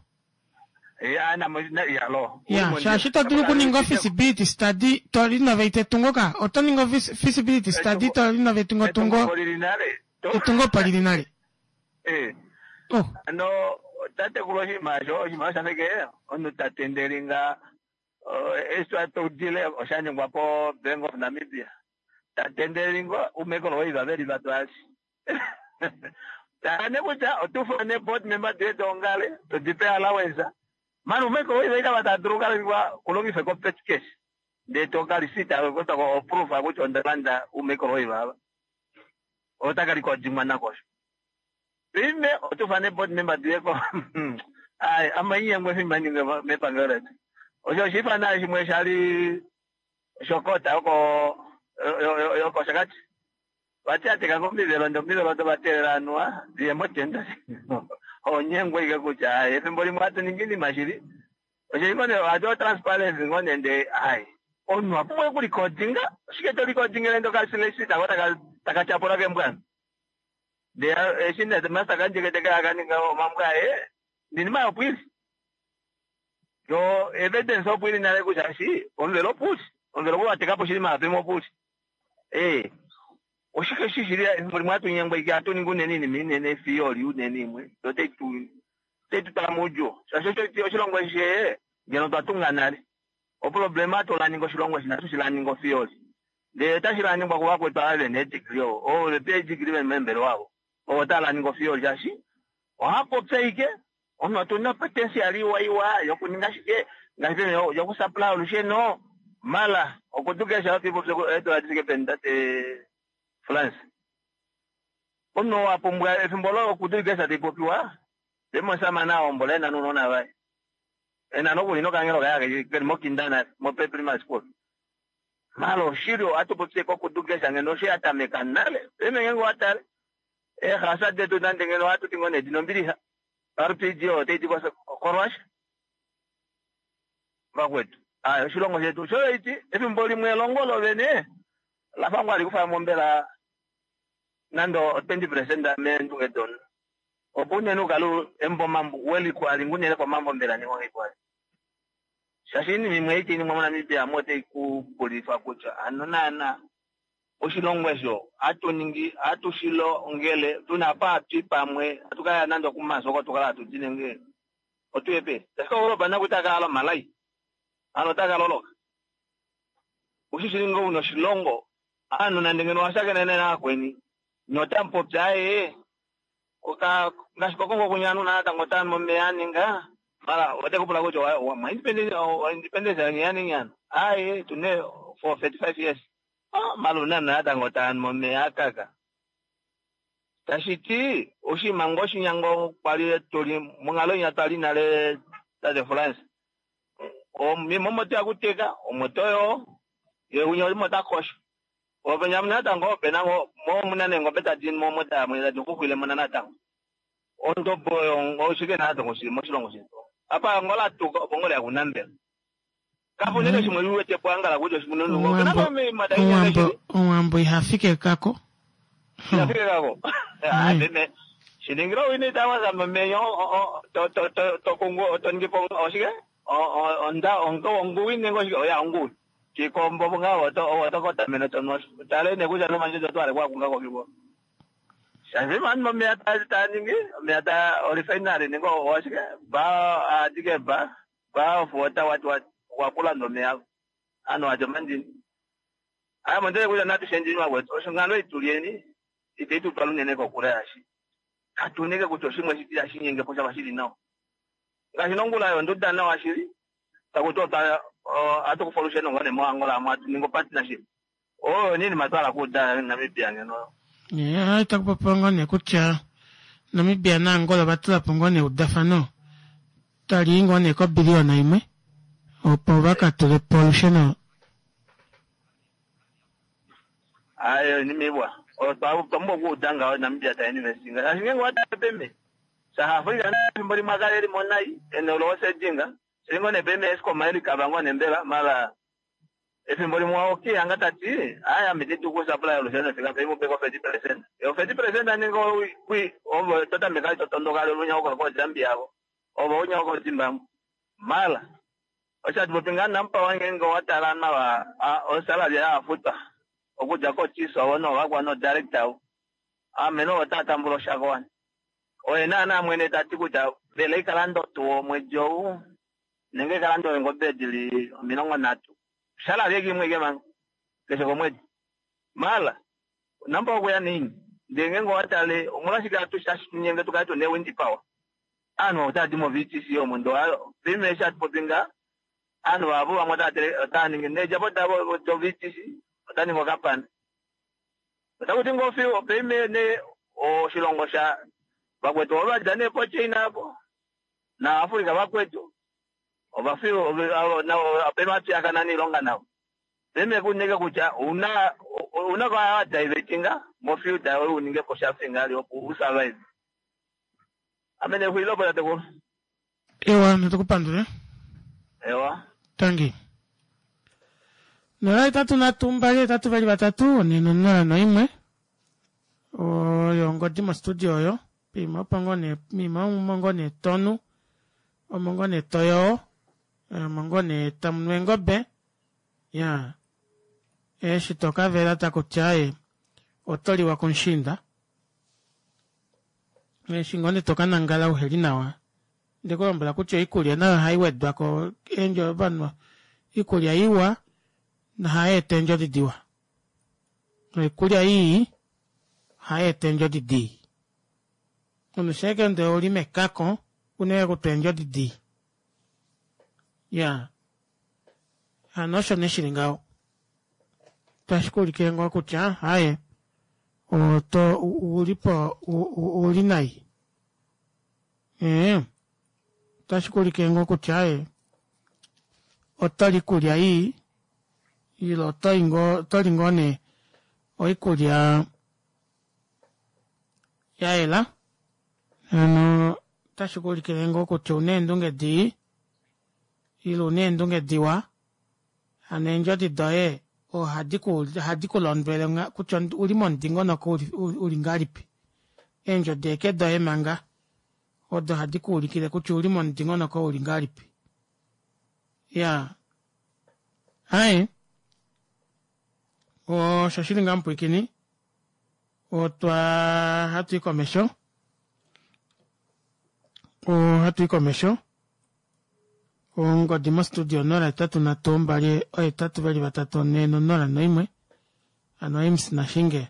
ya shaashi to dulu okuninga ofeasibility study to renovate etungo ka oto ningi feasibility study to renovate etungo etungo opo lili nale eh. oh. Ano tatekulu oshinima osho oshinima oshafeke omunhu ta tendelinga eshi twaudile osha ningwa po Bank of Namibia ta tendelingo umekolo veli vatwali tala kutya otufane board member diye doongale todipe allowance mani umekolo iva ita tadulu kalingwa kulongife ko petty cash ndee tokalisita kotako oproof kutya ondalanda umekolo ivava otakalikodimwa nakosho pime otufane board member diye ko ai amainyengwe fimaninge mepangelo letu osho oshifana shimwe shali shokota yoko yokoshakati vati ateka komivelo ndee omivelo odo vateelela anuwa diye motenda onyengwe ike kutya efimbo limwe hatu ningi inima shili oshili ngoo nee ohatu otransparency ngoo nee ndee ai omunhu apumbwa okulikodinga oshike to likodingele ndee okasileshi tako taka tyapula kembwana ndee eshi nee master kandjeke teke akaninga omambo aye ninima yopwili yo evidence opo ili nale kutya shi omuvelo opuuli omuvelo opo watekapo shili maapimo opuuli ee oshike shi shili efimbo limwe hatu nyengwa ike hatu ningi unene iinima inene fiyoli unene imwe yo otai tutala moudjuu shaashi oshilongo eshi ngeno twa tunga nale oproblema atu laninga oshilongo eshi natu shilaninga ofiyoli ndee otashi laningwa kuvakwetu ava vena eedegree ovo vePhD veli meembelewa avo ovo otava laninga ofiyoli shaashi ohapopya ike omunhu otuna potential iwa iwa yokuninga shike ngaashi yokusupply olusheno mala okudukesha otipopye eedula difike peni tate France omunhu wapumbwa efimbo lo okudukesha taipopiwa pemosamana ahombola ena nounona vaye ena nokuli nokangelo kaye keli mokinda nale mopeprimary school mala oshili ohatu popye kokudukesha ngeno osho yatameka nale peme ngenge watale eehasa detu nande ngeno ohatu ti ngoo nee dina ombilixa RPG otaidi koRussia vakwetu aya oshilongo shetu shoiti efimbo limwe elongo lovene lafa ngoo alikufamo mbela nande 20% meendunge domunhu opo unene ukale embo mambo welikwali ngunene komambo mbela ningongekwali shaashi iinima imwe iti iningwa moNamibia mo otai kupulifa kutya ano naana oshilongo esho hatu ningi hatu shilongele tuna apa hatui pamwe hatu kaya nande okuMars oko tukala hatu di nenge otuye peni tashi kaUropa naku itakala omalai ano otakaloloka ushishili ngo una oshilongo aanhu nande ngeno owashakene naakweni notamupopya aye oka ngaashi kokongo kunya aanhu natango otanu momeya aninga mala otekupula kutya mwa independence yaningi ano aye tune for 35 years mala una natango tanu momeya akaka tashiti oshinima ngo oshinyango kwali tuli monghalo inya twali nale tate France omo toya kuteka omo toyo ye unya omo takosha openya natango opena mo muna neengobe tadi mo tamwe tadi kuxwile mona natango ondobo oyo oshike natango shili moshilongo shetu apa ngola tuka opo ngole yakunambela Kapu unene shimwe u wete po angala kutya oshimununu. Opena ngoo ominima tai nyenge shili. Omuwambo iha fike kako. Iha fike kako. Ah, meme. Shiningila owina ita waza momeya to to to to kungu to ningi po oshike? Onda onguwi nenge oshike? Oya onguwi. Shikombo nga oto oto kotamene to no tale ne kutya nomanje to twale kwa kunga kokibo. Shaashi mani momeya ta ta ningi omeya ta orifinary nenge oshike? Ba adike ba ba of water what what wakulanda omeya anu ati omandini. Aya mondele kutya natu shendjeni wakwetu osho ngalo itulyeni ite tu twala unene kokule yashi. Katunike kutya oshimwe shiti yashinyenge po shava shili nawa. Ngaashi nongula yonduda nawa shili takuti ota atukufa olusheno ngoo nee moAngola amu atu ningi opartnership. Oyo nini matwala kuuda Namibia ngeno. Yeah, itaku popiwa ngoo nee kutya Namibia naAngola ova tula po ngoo nee eudafano tali i ngoo nee kobiliyona imwe opo va ka tule po olusheno. Ayo inima iwa. Oyo twa pumbwa okuuda ngaho Namibia ta investinga. Shaashi ngeenge owa tale peme, South Africa efimbo limwe a kala eli mo nai, ene olosedinga. Shili ngoo nee peme Eskom eli Kavango nembela, mara Efimbo limwe okihanga ta ti, Aye, ame ite dulu okusapulaya olusheno fika pei mupeko 30%. O 30% nenge kwi, ove to tameke ali to tondoka ali olunyauka ko Zambia avo, ove ounyauka ko Zimbabwe. Mara, osho hatu popi ngaa Nampower ngeenge owa tala nawa o salary yaye a futwa okudja ko chiefs ovo noovakwa no director avo, ame novo otava tambula oshako wani. Oye naana mwene ta ti kutya mbela ikalanda otuwa omwedi ou nenge ka lande eengobe di li 30 salary eke imwe ike manga keshe komwedi mala namba okuya nini ndee ngenge owa tale omolwashike atu shashinyenge tu kale tuna ewindi power aanhu otava di mo VTC omo ndee paife eshi hatu popi nga aanhu vahapu vamwe otava ningi needjapo davo do VTC ota ningi okapana otaku ti ngoo fiyo paife ne oshilongo sha vakwetu ovo vadja nee po China apo na Africa vakwetu ovafi navo va piyakana niilonga navo. Peme kuneke kutya ouna ouna kwa wa divertinga mo field yoye u ninge po sha fingali opo u survive. Ame ne xulilo po tatekulu. Ewa, natu ku pandule. Ewa. Tangi. 0 8 3 2 8 2 3 4 0 1 oyo ongodi mostudio oyo. Piima opo ngoo nee, miima omo ngoo nee tonu, omo ngoo nee toyoo, omo ngoo nee tamu nu eengobe, ya eshi to ka vela taku ti aye oto liwa kumushiinda, eshi ngoo nee to ka nangala uheli nawa, nde ku lombwela kutya oikulya nayo ohai wedwa ko eendjo ovanhu iikulya iwa nohai eta eendjodi diwa. Noikulya ii ohai eta eendjodi dii. Omunhu sheke ndee ouli mekako unene kutwa eendjodi dii. Ya hano osho nee shili ngaho. Tashi ku ulikile ngoo kutya haye oto uli po uli nai. Ee otashi ku ulikile ngoo kutya haye oto li ikulya ii ile oto li ngoo oto li ngoo nee oikulya ya yela hano otashi ku ulikile ngoo kutya ouna eendunge dii ile una eendunge diwa hano eendjodi doye ohadi ku ohadi ku londwele kutya uli momudingonoko uli ngahelipi eendjodi eke doye manga odo hadi ku ulikile kutya uli momudingonoko uli ngahelipi ya hai osho shili ngaa mupwiikini otwa hatu i komesho ohatu i komesho ongodi mostudio 083 2 8 2 3 4 0 1 ano Ames Nashinge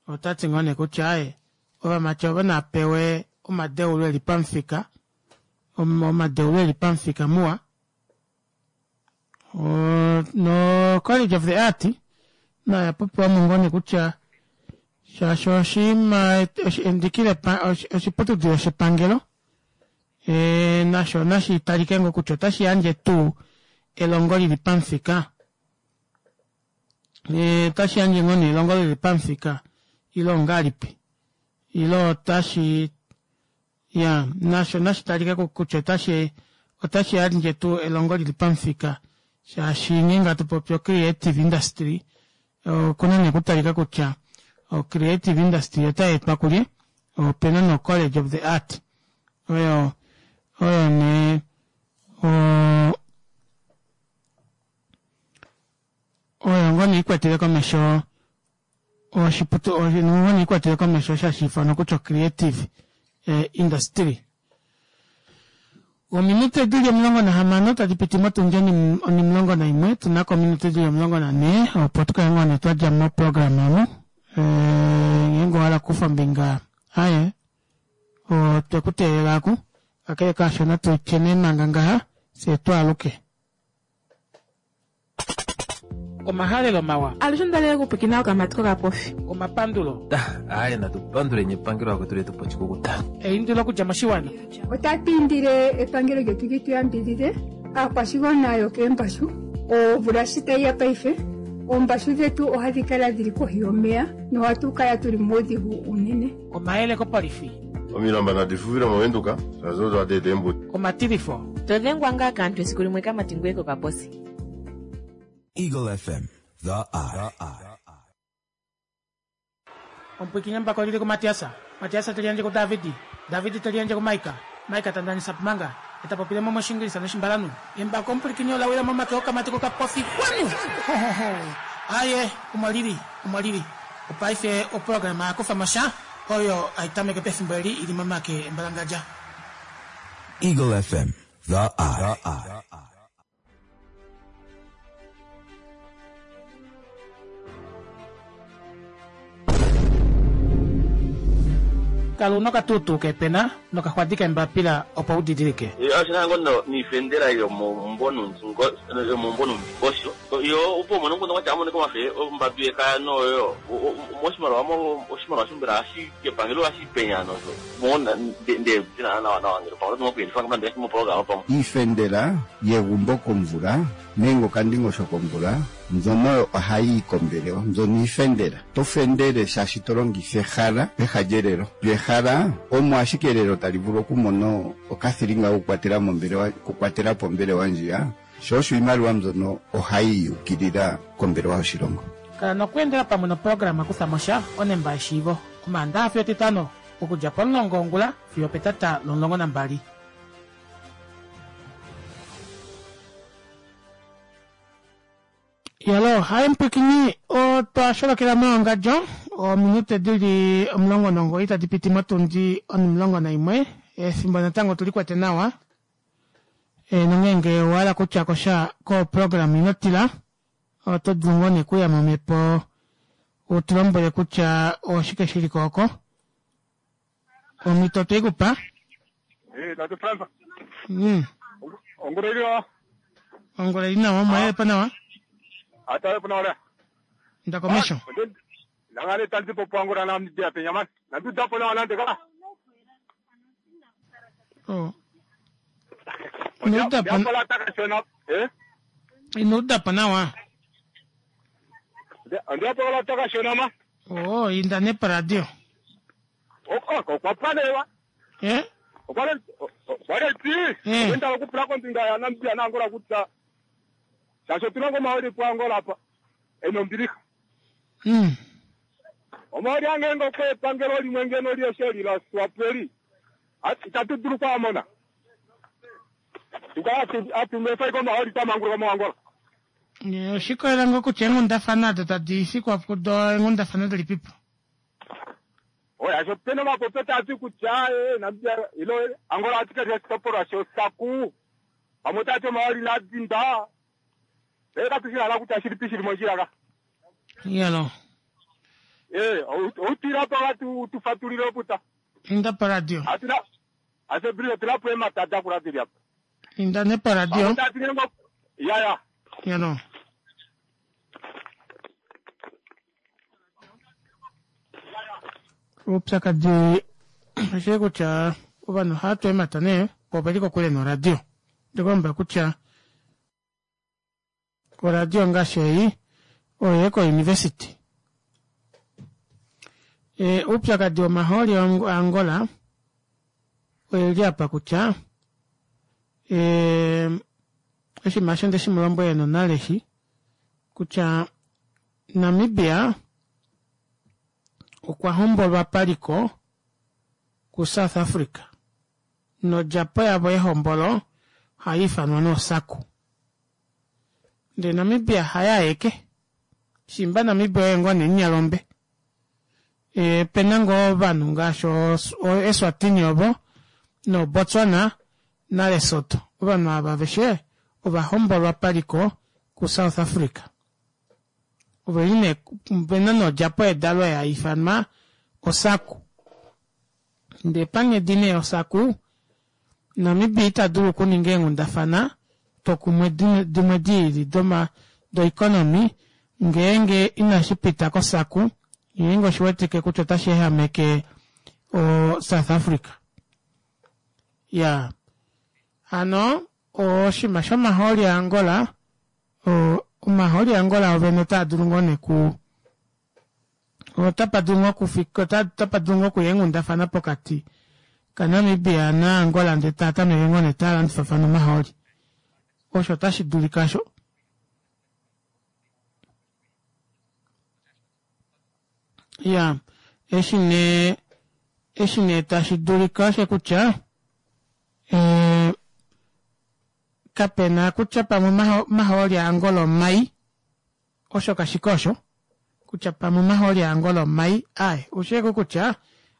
ota ti ngoo nee kutya aye ovamati ovo na pewe omadeulo eli pamufika omadeulo eli pamufika muwa no College of the Art nayo ya popiwa mo ngoo nee kutya shaashi oshinima endiki oshiputudilo shepangelo e, nasho nashi talike ngoo kutya otashi yandje tuu elongo lili pamufika E, otashi yandje ngoo nee elongo lili pamufika ile ongalipi ile otashi ya nasho nashi talike kutya otashi otashi yandje tuu elongo lili pamufika. Shaashi ngeenge hatu popi o-creative industry, okuna nee okutalika kutya o-creative industry otai etwa kulye, opena nee o-college of the art oyo oyo nee o oyo ngoo nee ikwetele komesho oshiputu oyo ngoo nee ikwetele komesho osho hashi ifanwa kutya o-creative eh, industry. Ominute dili 16 tadi piti motundi onimulongo naimwe tuna ko ominute dili 14 opo tu kale ngoo nee twa dja moprograma omu. Ngeenge owa hala okukufa ombinga aye otwe ku teelela aku kakele kaasho natu tye nee manga ngaha fyee twaaluke. Omahalelo mawa. Alushe onda lela okupwikina okamati kokapofi. Omapandulo. Aye natu panduleni epangelo lakwetu letu pa oshikukuta. Eindilo okudja moshiwana. Otatu indile epangelo lyetu li tu yambidhidhe aakwashigwana yokeembashu. Omvula shi tayi ya paife, oombashu dhetu ohadhi kala dhi li kohi yomeya nohatu kala tu li muudhigu uunene. Omayele kopolifi. Omilamba nadi fufile moVenduka, shaashi odo hadi eta eembuto. Omatilifo. To dhengwa ngaa kaantu esiku limwe kamati ngoye kokaposi. Eagle FM, the eye. Omupwiikini embako oli li kuMatias, Matias te liyandje kuDavid, David te liyandje kuMaika, Maika ta ndanisa pmanga, e ta popile mo mOshiingilisa nOshimbalanhu. Embako omupwilikini ola wila momake okamati kokapofi kwanu! Hohoho! Aye, omo li li, omo li li. Opaife oprograma ya kufa mo sha, oyo hai tameke pefimbo eli i li momake embalangadja. Eagle FM, the eye. Kala una okatuutuu keepena nokaxwadi keembapila opo u didilike. Oshi na ngoo noifendela yomomumbo noundingosho yo opo umone omukundu kwatya amonike omafe ombadu yekaya noyo moshimaliwa oshimaliwa osho mbela ohashi epangelo ohashi penya nosho Iifendela yegumbo komvula nenge okandingosho komvula mbyono oyo ohayi yi kombelewa. Mbyono iifendela. To fendele shaashi to longitha ehala peha lyelelo. Lyo ehala omo ashike elelo tali vulu okumona okathilinga kokukwatela mombelewa, okukwatela po ombelewa ndjiya. Sho osho iimaliwa mbyono ohayi yi ukilila kombelewa yoshilongo. Kala nokweendela pamwe noprograma Kutha mo sha, Onemba yeshiivo, Omaandaha fiyo Etitano, okudja pomulongo wongula fiyo opetata lomulongo nambali. Yalo, haye mpwikinyi, otwa sholokela mewangadjo, ominute di li 19 tadi piti motundi onimulongo naimwe, efimbo natango otuli kwete nawa. E, nongeenge owa hala kutya ko sha koprogram ino tila, oto dulu ngoo nee kuya momhepo u tu lombwele kutya oshike shi li ko oko. Omhito otwe i ku pa. Eh, Tate Fransa. Ongula ili nawa. Ongula ili nawa, omwa po nawa. Atale po nawa lea. Nda komesho. Nangane tandi po Angola na mdia penya man. Nandu po nawa nande ka. Oh. Ino uda po eh? Ino uda po nawa. Ondiapo la taka shona ma. Oh, inda ne paradio. Okwa panewa. Eh? Okwa le ti. Eh. Okwenda okupula kombinga ya Namibia na Angola kutya shaashi otuna ngomaoli po Angola apa ena ombilixa. Omaoli ange ngoko epangelo limwe ngeno lieshe la Swapo eli itatu dulu kwaamona. Tukala atunwefa iko omaoli twamanguluka moAngola. Oshikolela ngoo kutya eenghundafana odo tadi fikwa kudo eenghundafana dilipipo. Oya sho pena omapopyo taa ti kutya Namibia ilo Angola ati kali oshitopolwa shosaku pamwe otaa ti omaoli nadinda ee katu shi hala kutya shilipi shili mondjila ka. Yalo. Eh, outila pa watu tufatulile oputa. Inda pa radio. Atuna ase brio tula po ematata ku radio apa. Inda ne pa radio. Ya ya. Yalo. Oupyakadi oshili kutya ovanhu ohava tu eemhata nee po oveli kokule noradio. Ndikulombwela kutya oradio ngaashi ei oye kouniversity. E, oupyakadi womahooli aAngola oye li apa kutya e, Oshinima osho nde shi mu lombwele nonale shi kutya Namibia okwa hombolwa paliko kuSouth Africa nodjapo yavo yehombolo ohai ifanwa nooSACU. Ndele Namibia haye aeke, shimba Namibia oye ngoo nee munyalombe. E, pena ngoo ovanhu ngaashi Eswatini ovo noBotswana naLesotho. Ovanhu ava aveshe ova hombolwa paliko kuSouth Africa. Ove li nee vena nodjapo yedalo ya ifanwa oSACU. Ndee panghedi nee yoSACU, Namibia ita dulu okuninga eenghundafana tokumwe dimwe di ili doeconomy ngeenge inashi pita koSACU, ngeenge oshi wetike kutya otashi ehameke oSouth Africa. Ya hano oshinima shomahooli aAngola, omahooli aAngola ovene otaa dulu ngoo nee ku otapa dulu ngoo okufika otapa dulu ngoo okuya eenghundafana pokati kaNamibia naAngola ndele taa tameke ngoo nee taa landifafana omahooli. Osho otashi dulika sho. Ya, eshi nee eshi nee tashi dulika osho kutya eh, kapena kutya pamwe omahooli aAngola omai Osho kashi ko osho kutya pamwe omahooli aAngola omai, aaye, osheeko kutya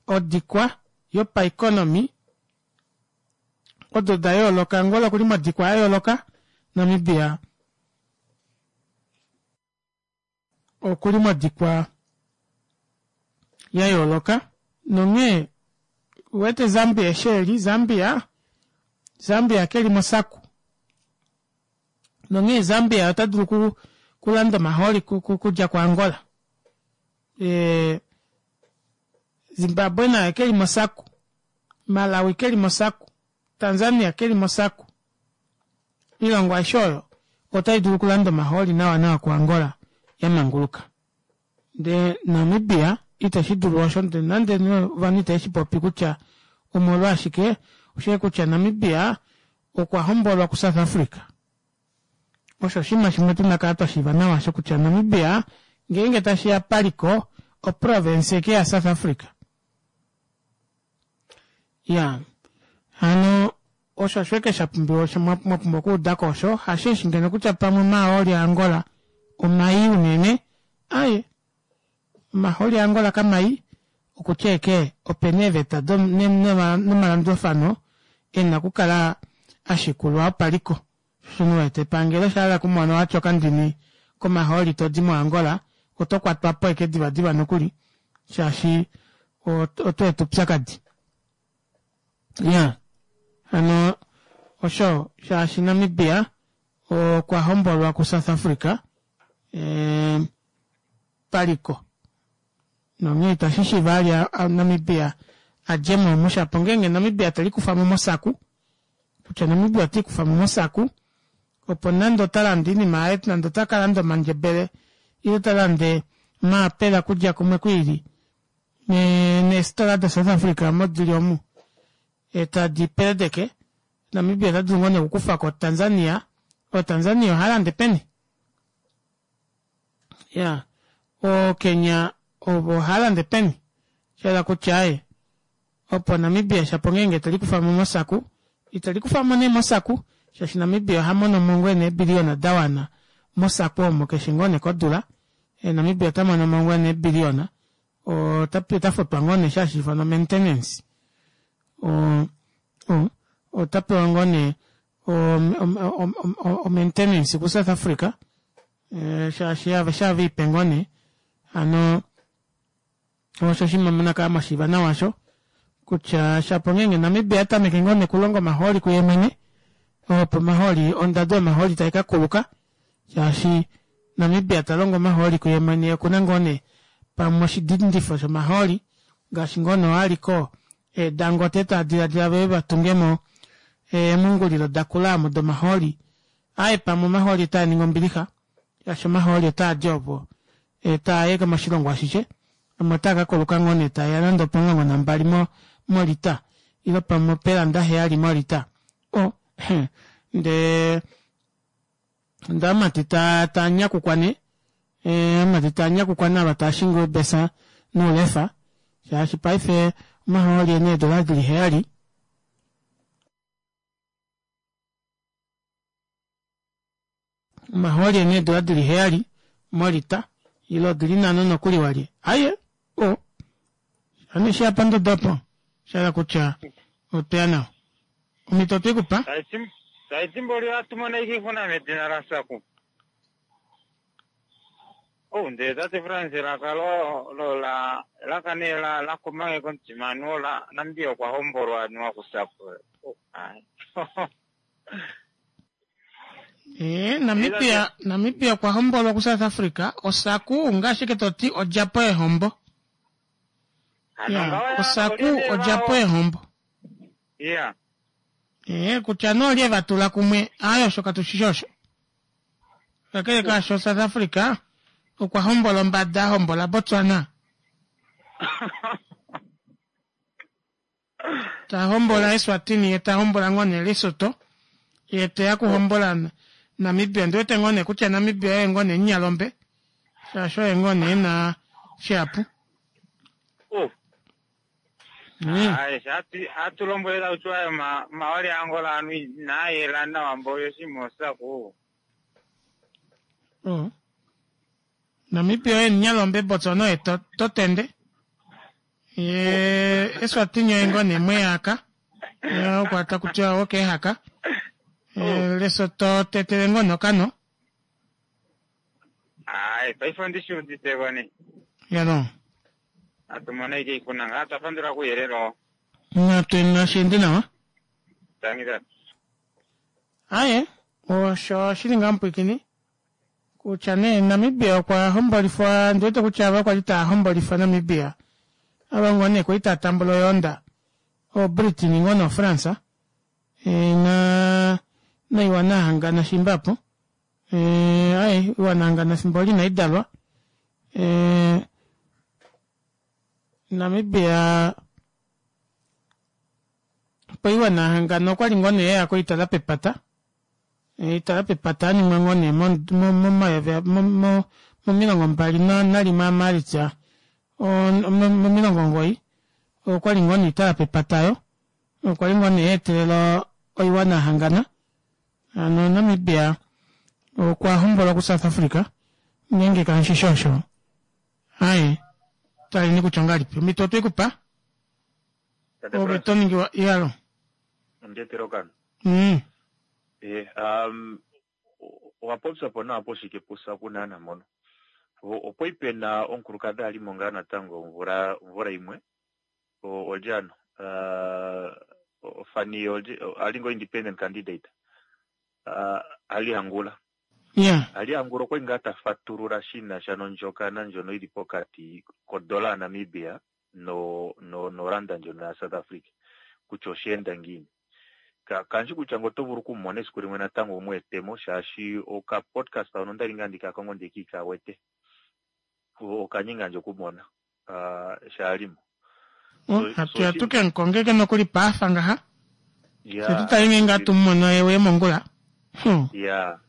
odikwa yopaeconomy odo da yooloka, Angola okuli modikwa ya yooloka, Namibia okuli modikwa ya yooloka, nonghee uwete Zambia eshi eli, Zambia, Zambia keli mosaku. Nonghee Zambia ota dulu ku, kulanda omahooli kudja kuAngola. E, Zimbabwe naye ke li mosaku. Malawi ke li mosaku. Tanzania ke li mosaku. Oilongo aishe oyo otai dulu okulanda omahooli nawa nawa kuAngola ya manguluka. Ndee Namibia itashi dulu osho ndee nande ovanhu itave shi popi kutya omolwashike, osheshi kutya Namibia okwa hombolwa kuSouth Africa. Osho oshinima shimwe tuna kala twa shiiva nawa osho kutya Namibia ngeenge tashi ya paliko oprovince eke yaSouth Africa. Ya hano osho osho eke sha pumbiwa osho mwa pumbwa okuuda ko osho hasheshi ngeno kutya pamwe omahooli aAngola omai unene aye omahooli aAngola kamai okutya eke opena eeveta nomalandulafano ena okukala a shikulwa opaliko shino wete epangelo sha hala okumona watya okandini komahooli todi moAngola oto kwatwa po eke divadiva nokuli shaashi oto eta oupyakadi. Ya hano osho shaashi Namibia okwa hombolwa kuSouth Africa e, paliko nonghee itashi shiiva ali Namibia a dje mo mushapo ngeenge Namibia te likufa mo mosaku kutya Namibia ota ikufa mo mosaku opo nande ota lande oinima yaye nande ota ka landa omandjebele ile ta lande omaapela kudja kumwe kwiili neesitola daSouth Africa omo dili omu e tadi peledeke Namibia ota dulu ngoo nee okukufa ko Tanzania o Tanzania oha lande peni ya o Kenya ovo oha lande peni shayela kutya aye opo Namibia shapo ngeenge te likufa mo mosaku ite likufa mo nee mosaku shaashi Namibia oha mono mo ngoo nee eebiliyona da wana mosaku omo keshe ngoo nee kodula e, Namibia ota mono mo ngoo nee eebiliyona ota futwa ngoo nee shaashi ifanwa maintenance ota pewa ngoo nee o-maintenance kuSouth Africa eh, shaashi aveshe ava ipe ngoo nee hano osho oshinima muna kala mwa shiiva nawa osho kutya shapo ngeenge Namibia a tameke ngoo nekulonga omahooli kuye mwene opo omahooli ondado yomahooli tai ka kuluka shaashi Namibia ta longo omahooli kuye mwene okuna ngoo nee pamwe oshidindifo shomahooli ngaashi ngoo nee aliko Dangote ta diladila ve va tungemo eemhungulilo da kula omo domahooli aye pamwe omahooli otaa ningi ombilixa shaashi omahooli otaa di opo taa yeke moshilongo ashishe amwe otaa ka kuluka ngoo nee taeya nande opomulongo nambali mo molita ile pamwe opeelanda heyali molita o ndee. Ndee amati taa taa nyakukwa nee eh, amati taa nyakukwa naava taa shingi oubesa noulefa shaashi paife omahooli ena eedola dili heyali omahooli ena eedola dili heyali molita ile odili nhano nokuli walye aye o ame eshi apa ndodo opo shahala kutya otweya nawa omhito otwe ku pa Taiti mboli ohatu mono ashike oixuna medina laSaku. Oh, ndele tate Frans elaka lo lo la elaka nee la la kuma nge komutima anuwa la Namibia okwa hombolwa anuwa kuSaku. Oh, ai. Ee, Namibia, Namibia okwa hombolwa kuSouth Africa, oSaku ngaashi ashike to ti odjapo yehombo. Hano Ya, ngaho ya oSaku olye nee odjapo vao. yehombo. Ya. Ee, kutya nee olye va tula kumwe, aaye osho katu shi shi osho. Kakele kaasho South Africa okwa hombola ombada a hombola Botswana. Ta hombola Eswatini ye ta hombola ngoo nee Lesotho ye teya kuhombola Namibia. Ndi wete ngoo nee kutya Namibia oye ngoo nee Nyalombe shaashi oye ngoo nee ena shihapu. Oh. Aye, hatu lombwele taku tiwa omahooli aAngola anu inaa yela nawa mboli oshinima osaku. Oh. Namibia oye Nyalombe Botswana oye totende. Ye Eswatini oye ngoo nee Mweyaka. Ye okwa taku tiwa wokeehaka. Lesotho tetele ngoo nokano. Aye, paife ondi shi udite ko nee. Yalo. Atu mono ashike oixuna ngaa twa pandula kouyelele oo. Natu nashi ende nawa. Tangi tata. Aye, osho shili ngaa mupwiikini kutya nee Namibia okwa hombolifwa, ndi wete kutya ava kwali tava hombolifa Namibia ava ngoo nee kwali tava tambula oyoonda oBritain ngoo noFrance e, na noiwana yahangana shimba apo e, aye iwana yahangana fimbo oli inai dalwa e, Namibia poiwana yahangana okwali ngoo nee yeya koitala pepata oitala pepata yaningwa ngoo nee momayovi momilongo mbali nalimwe aMaalitsa momilongo omugoyi okwali ngoo nee oitala pepata oyo okwa li ngoo nee yaetelela oiwana yahangana hano Namibia okwa hombolwa kuSouth Africa ngeenge kamushishi osho aye taleni kutya ongahelipi omhito otwe ku pa ove to ningiwa iyalo Ondietele okano. Eh, um, owa popya po nawa poshike puSaku naana mpono. Opwali pena omukulukadhi a li mo ngaa natango omvula omvula yimwe olye ano Fani olye a li ngo independent candidate Ali Angula. Yeah. Ali Angula okwali ngaa ta fatulula shi na sha nondjokana ndjono yi li pokati kodola yaNamibia no no noranda ndjono yaSouth Africa kutya osha enda ngiini. Ka kandishi kutya ngele oto vulu oku mu mona esiku limwe natango wu mu ete mo shaashi oka podcast hono ondali ngaa ndika kongo ndiki ka wete. Oka nyenga ndje okumona sho a li mo. Oh, hatu ya tu ke mu kongeke nokuli paafa ngaha. Fye tu tale ngeenge hatu mu mono ye uye mongula. Ya.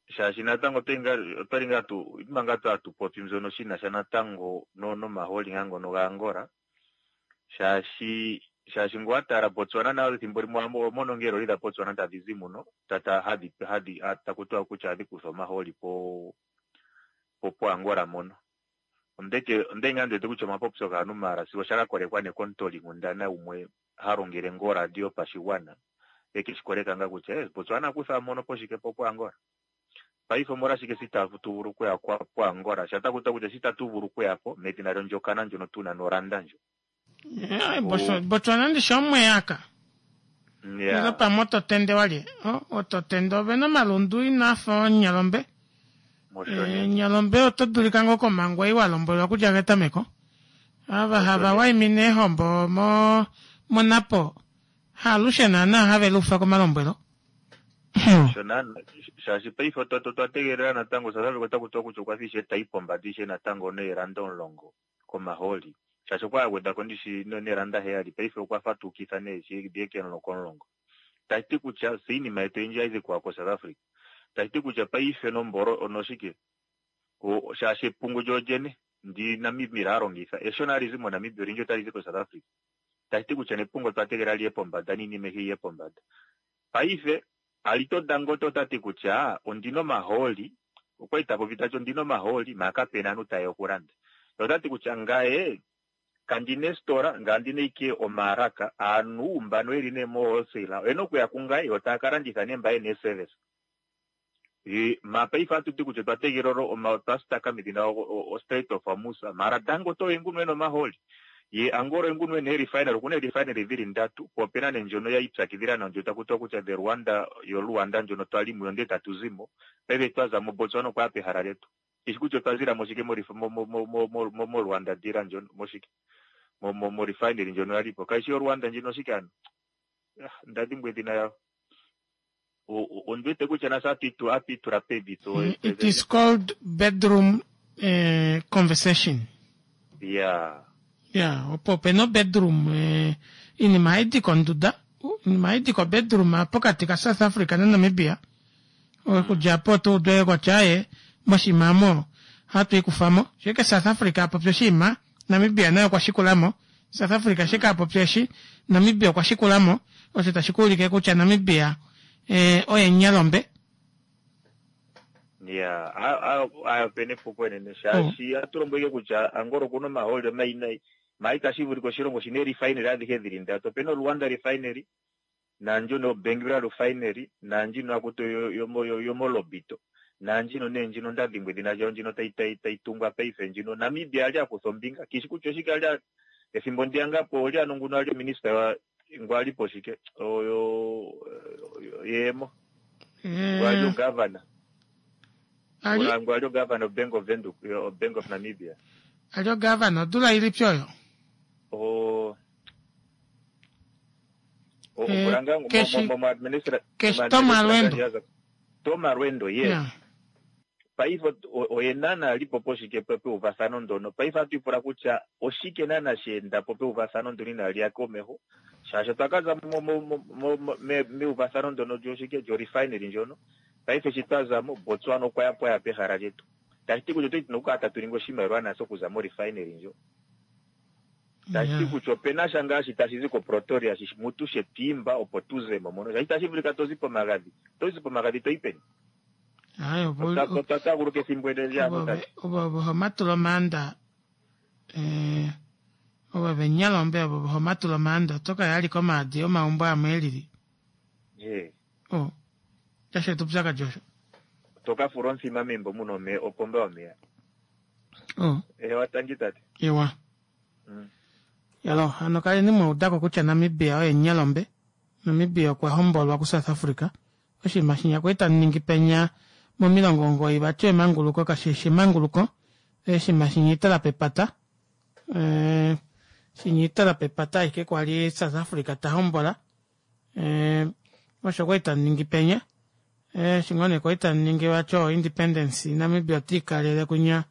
Shaashi natango otwali ngaa tu manga twa tu popi mbyono shi na sha natango nomahooli ngaa ngono gaAngola. Shaashi shaashi ngele owa tala Botswana nayo ethimbo limwe oho mono ngaa eeloli dhaBotswana tadhi zi muno ta hadhi hadhi taku tiwa kutya ohadhi kutha omahooli po po poAngola mono. Ondeke onda li ngaa ndi wete kutya omapopyo gaantu maala sigo sha ka kolekwa nee komutoolinkundana gumwe ha longele ngaa oradio yopashigwana e ke shi koleka ngaa kutya eh Botswana kutha mono poshike po poAngola. Paife omolwashike tse itatu vulu okuya poAngola sho taku tiwa kutya tse itatu vulu okuya po medhina lyondjokana ndjono tu na noranda ndjo. Eh, Botswana ndishi omweyaka. Ile pamwe ototende walye. Ototende ovena omalundu inaafa oonyalombe. Eh, nyalombe oto dulika ngoo komhango ei wa lombwelwa okudja ketameko. Ava hava waimine eehombo mo monapo haalushe naanaa have luufa komalombwelo. Osho naana, shaashi paife otwa otwa tegelela natango South Africa otaku tiwa kutya okwa fa ishewe tayi pombada ishewe natango neeranda omulongo komahooli. Shaashi okwa a gwedha ko ndishi neeranda heyali, paife okwa fa tuukitha nee shi dhiye komulongo. Tashi ti kutya fye iinima yetu oyindji ohayi zi koSouth Africa. Tashi ti kutya paife nombolo onoshike shaashi epungu lyolyene ndi Namibia a longitha eshona hali zi moNamibia olindji otali zi koSouth Africa. Tashi ti kutya nepungu otwa tegelela liye pombada niinima ayihe yiye pombada. Paife Alito Dangote ota ti kutya ondina omahooli, okwali ta popi tati ondina omahooli maa kapena aantu tayeya okulanda. Ye ota ti kutya ngaye kandina eesitola ngaye ondina ashike omaalaka, aantu mbano yeli nee mo wholesale oyena okuya kungaye yo taya ka landitha nee mba yena eeservice. Ma paife ohatu ti kutya otwa tegelela oma otwa stuck medhina o Strait of Hormuz maara Dangote oye nguno ena omahooli ye Angola oye nguno ena ee-refinery okuna ee-refinery dhili ndatu po opena nee ndjono ya ipyakidhila nayo ndjono taku tiwa kutya the Rwanda yo Luanda ndjono twali muyo ndele tatu zimo paife twa zamo Botswana okwa ya pehala letu kishi kutya otwa zilamo shike mo mo mo mo mo mo mo Rwanda deal ndjono moshike mo mo mo refinery ndjono yalipo kayishi yo Rwanda ndjino oshike ano ah nda dhimbwa edhina yawo Ondi wete kutya nase atu itula pevi tse mm, It is called bedroom eh, conversation. Yeah. Yeah, opo ope na bedroom eh, iinima hayi di konduda iinima hayi di kobedroom pokati ka South Africa naNamibia okudja po tu ude kutya ye moshinima omo ohatu ikufamo shike South Africa a popya oshinima Namibia naye okwa shikulamo South Africa shike a popya eshi Namibia okwa shikulamo osho tashi ku ulike kutya Namibia eh, oye nyalombe ya ayo pena epuko enene shaashi ohatu lombwele kutya Angola okuna omahooli omayinayi ma itashi vulika oshilongo shina erefinery adhihe dhili ndatu opena oLuanda refinery naandjono yoBenguela Refinery, naandjino haku ti yomoLobito, naandjino nee ndjino nda dhimbwa edhina lyayo ndjino tayi tayi tayi tungwa paife ndjino Namibia a li a kutha ombinga kishi kutya oshike a li a ethimbo ndiya ngaa po olye ano nguno a li ominista ya ngu a li po shike oyo yeemo ngu a li ogavana ngu a li ogavana oBank of Windhoek oBank of Namibia a li ogavana odula ilipi oyo o Keshi Tom Alweendo. Tom Alweendo, yes. Yeah. Paife oye naana a li po poshike po peuvathano ndono. Paife ohatu ipula kutya oshike naana she enda po peuvathano ndono inaali ya komeho, shaashi otwa ka za meuvathano ndono lyoshike lyorefinery ndjono. Paife shi twa za mo, Botswana okwa ya po a ya pehala lyetu. Tashi ti kutya otwali tuna okukala tatu ningi oshimaliwa nase okuza morefinery ndjo. Tashi ti kutya ope na sha ngaa shi tashi zi koProtoria shi mutu she tu imba opo tu ze mo mono. Shaashi itashi vulika to zi pomagadhi. Oto zi pomagadhi to yi peni? Aye, opo Otwa otwa taaguluka ethimbo ele lyaantu Ovo tati. ovo ovo homatula omaanda eh, ovo venyalombe ovo homatula omaanda oto ka yali komaadi omaumbo amwe elili Ee. o tashi eta upyakadi osho To ka fula omuthima membo mu na omeya, opomba yomeya. O Ewa, tangi tate. Ewa. Yalo, hano kaleni mwa udako kutya Namibia oye nyalombe. Namibia okwa hombolwa kuSouth Africa. Oshinima shinya kwali tamu ningi penya momilongo 9 vati emanguluko kashi shi emanguluko. Oshinima shinya itala pepata. Eh, shinya itala pepata ashike kwali South Africa ta hombola. Eh, osho kwali tamu ningi penya. Eh, eshi ngoo nee kwali tamu ningi vati o independence Namibia ota ikalele kunya.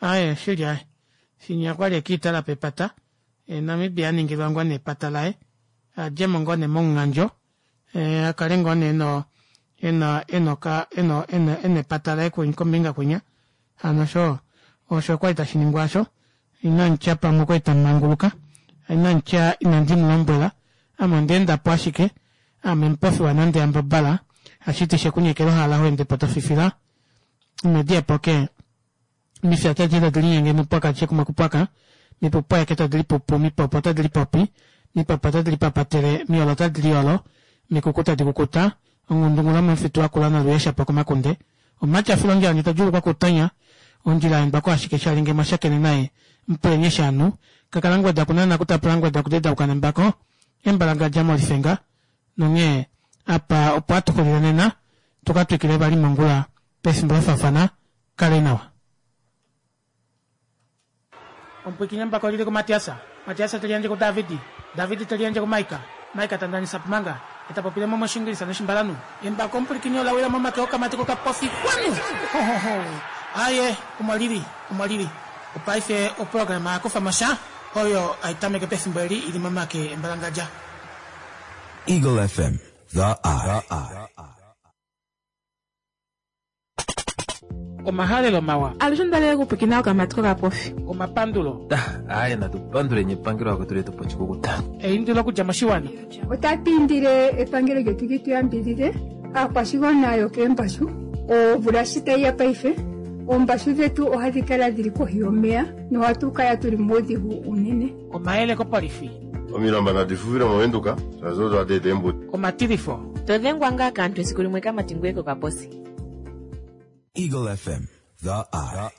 Aye, shili aye. Shinya kwali ekiitala pepata. Eh, Namibia a ningilwa ngoo nee epata laye. A dje mo ngoo nee momunghandjo. Eh, a kale ngoo nee eno ena enoka eno ena ena epata laye kombinga kwinya. Hano osho osho kwali tashi ningwa osho. Inamutya pamwe okwali tamu manguluka. Inamutya inandi mu lombwela. Ame onda enda po ashike. Ame mupofi wanande yambabala. Hashiti shekunyekela ohala ho ende po to fifila. Ino diya po ke mifya tadi tadi linyenge mupwaka adishe kumwe kupwaka, mipupwayeke tadi lipupu, mipopo tadi lipopi, mipapa tadi lipapatele, miyolo tadi liyolo, mikuku tadi kukuta, onghundungula momufitu wakula noluyesha po komakunde. Omumati a fila ondjila ndje ta djuulukwa kutonya, ondjila ya endwa ko ashike sha li nge mwa shakene naye, mupuleni eshi a nu, kakalangweda ku nana kutapula ngweda kudedauka nembako, embalangadja molifenga, nonghee apa opo hatu xulile nena, tu ka twikile vali mongula pefimbo la faafana. Kale nawa. Omupwiikini embako oli li kuMatias, Matias te liyandje kuDavid, David te liyandje kuMaika, Maika ta ndanisa Pumanga, e ta popile mo mOshiingilisa nOshimbalanhu. Embako omupwilikini ola wila momake okamati kokapofi kwanu! Hohoho! Aaye, omo li li, omo li li. Opaife oprograma ya kufa mo sha, oyo hai tameke pefimbo eli i li momake embalangadja. Eagle FM, the eye. Omahalelo mawa. Alushe ondalele okupwikina okamati kokapofi. Omapandulo. Aaye natu panduleni epangelo akwetu letu po oshikukuta. Eindilo okudja moshiwana. Otatu indile epangelo lyetu li tu yambidhidhe aakwashigwana yokeembashu. Omvula shi tayi ya paife, oombashu dhetu ohadhi kala dhili kohi yomeya nohatu kala tuli muudhigu uunene. Omayele kopolifi. Omilamba nadi fufile mOvenduka, shaashi odo hadi eta eembuto. Omatilifo. To dhengwa ngaa kaantu esiku limwe kamati ngweye kokaposi. Eagle FM, the eye.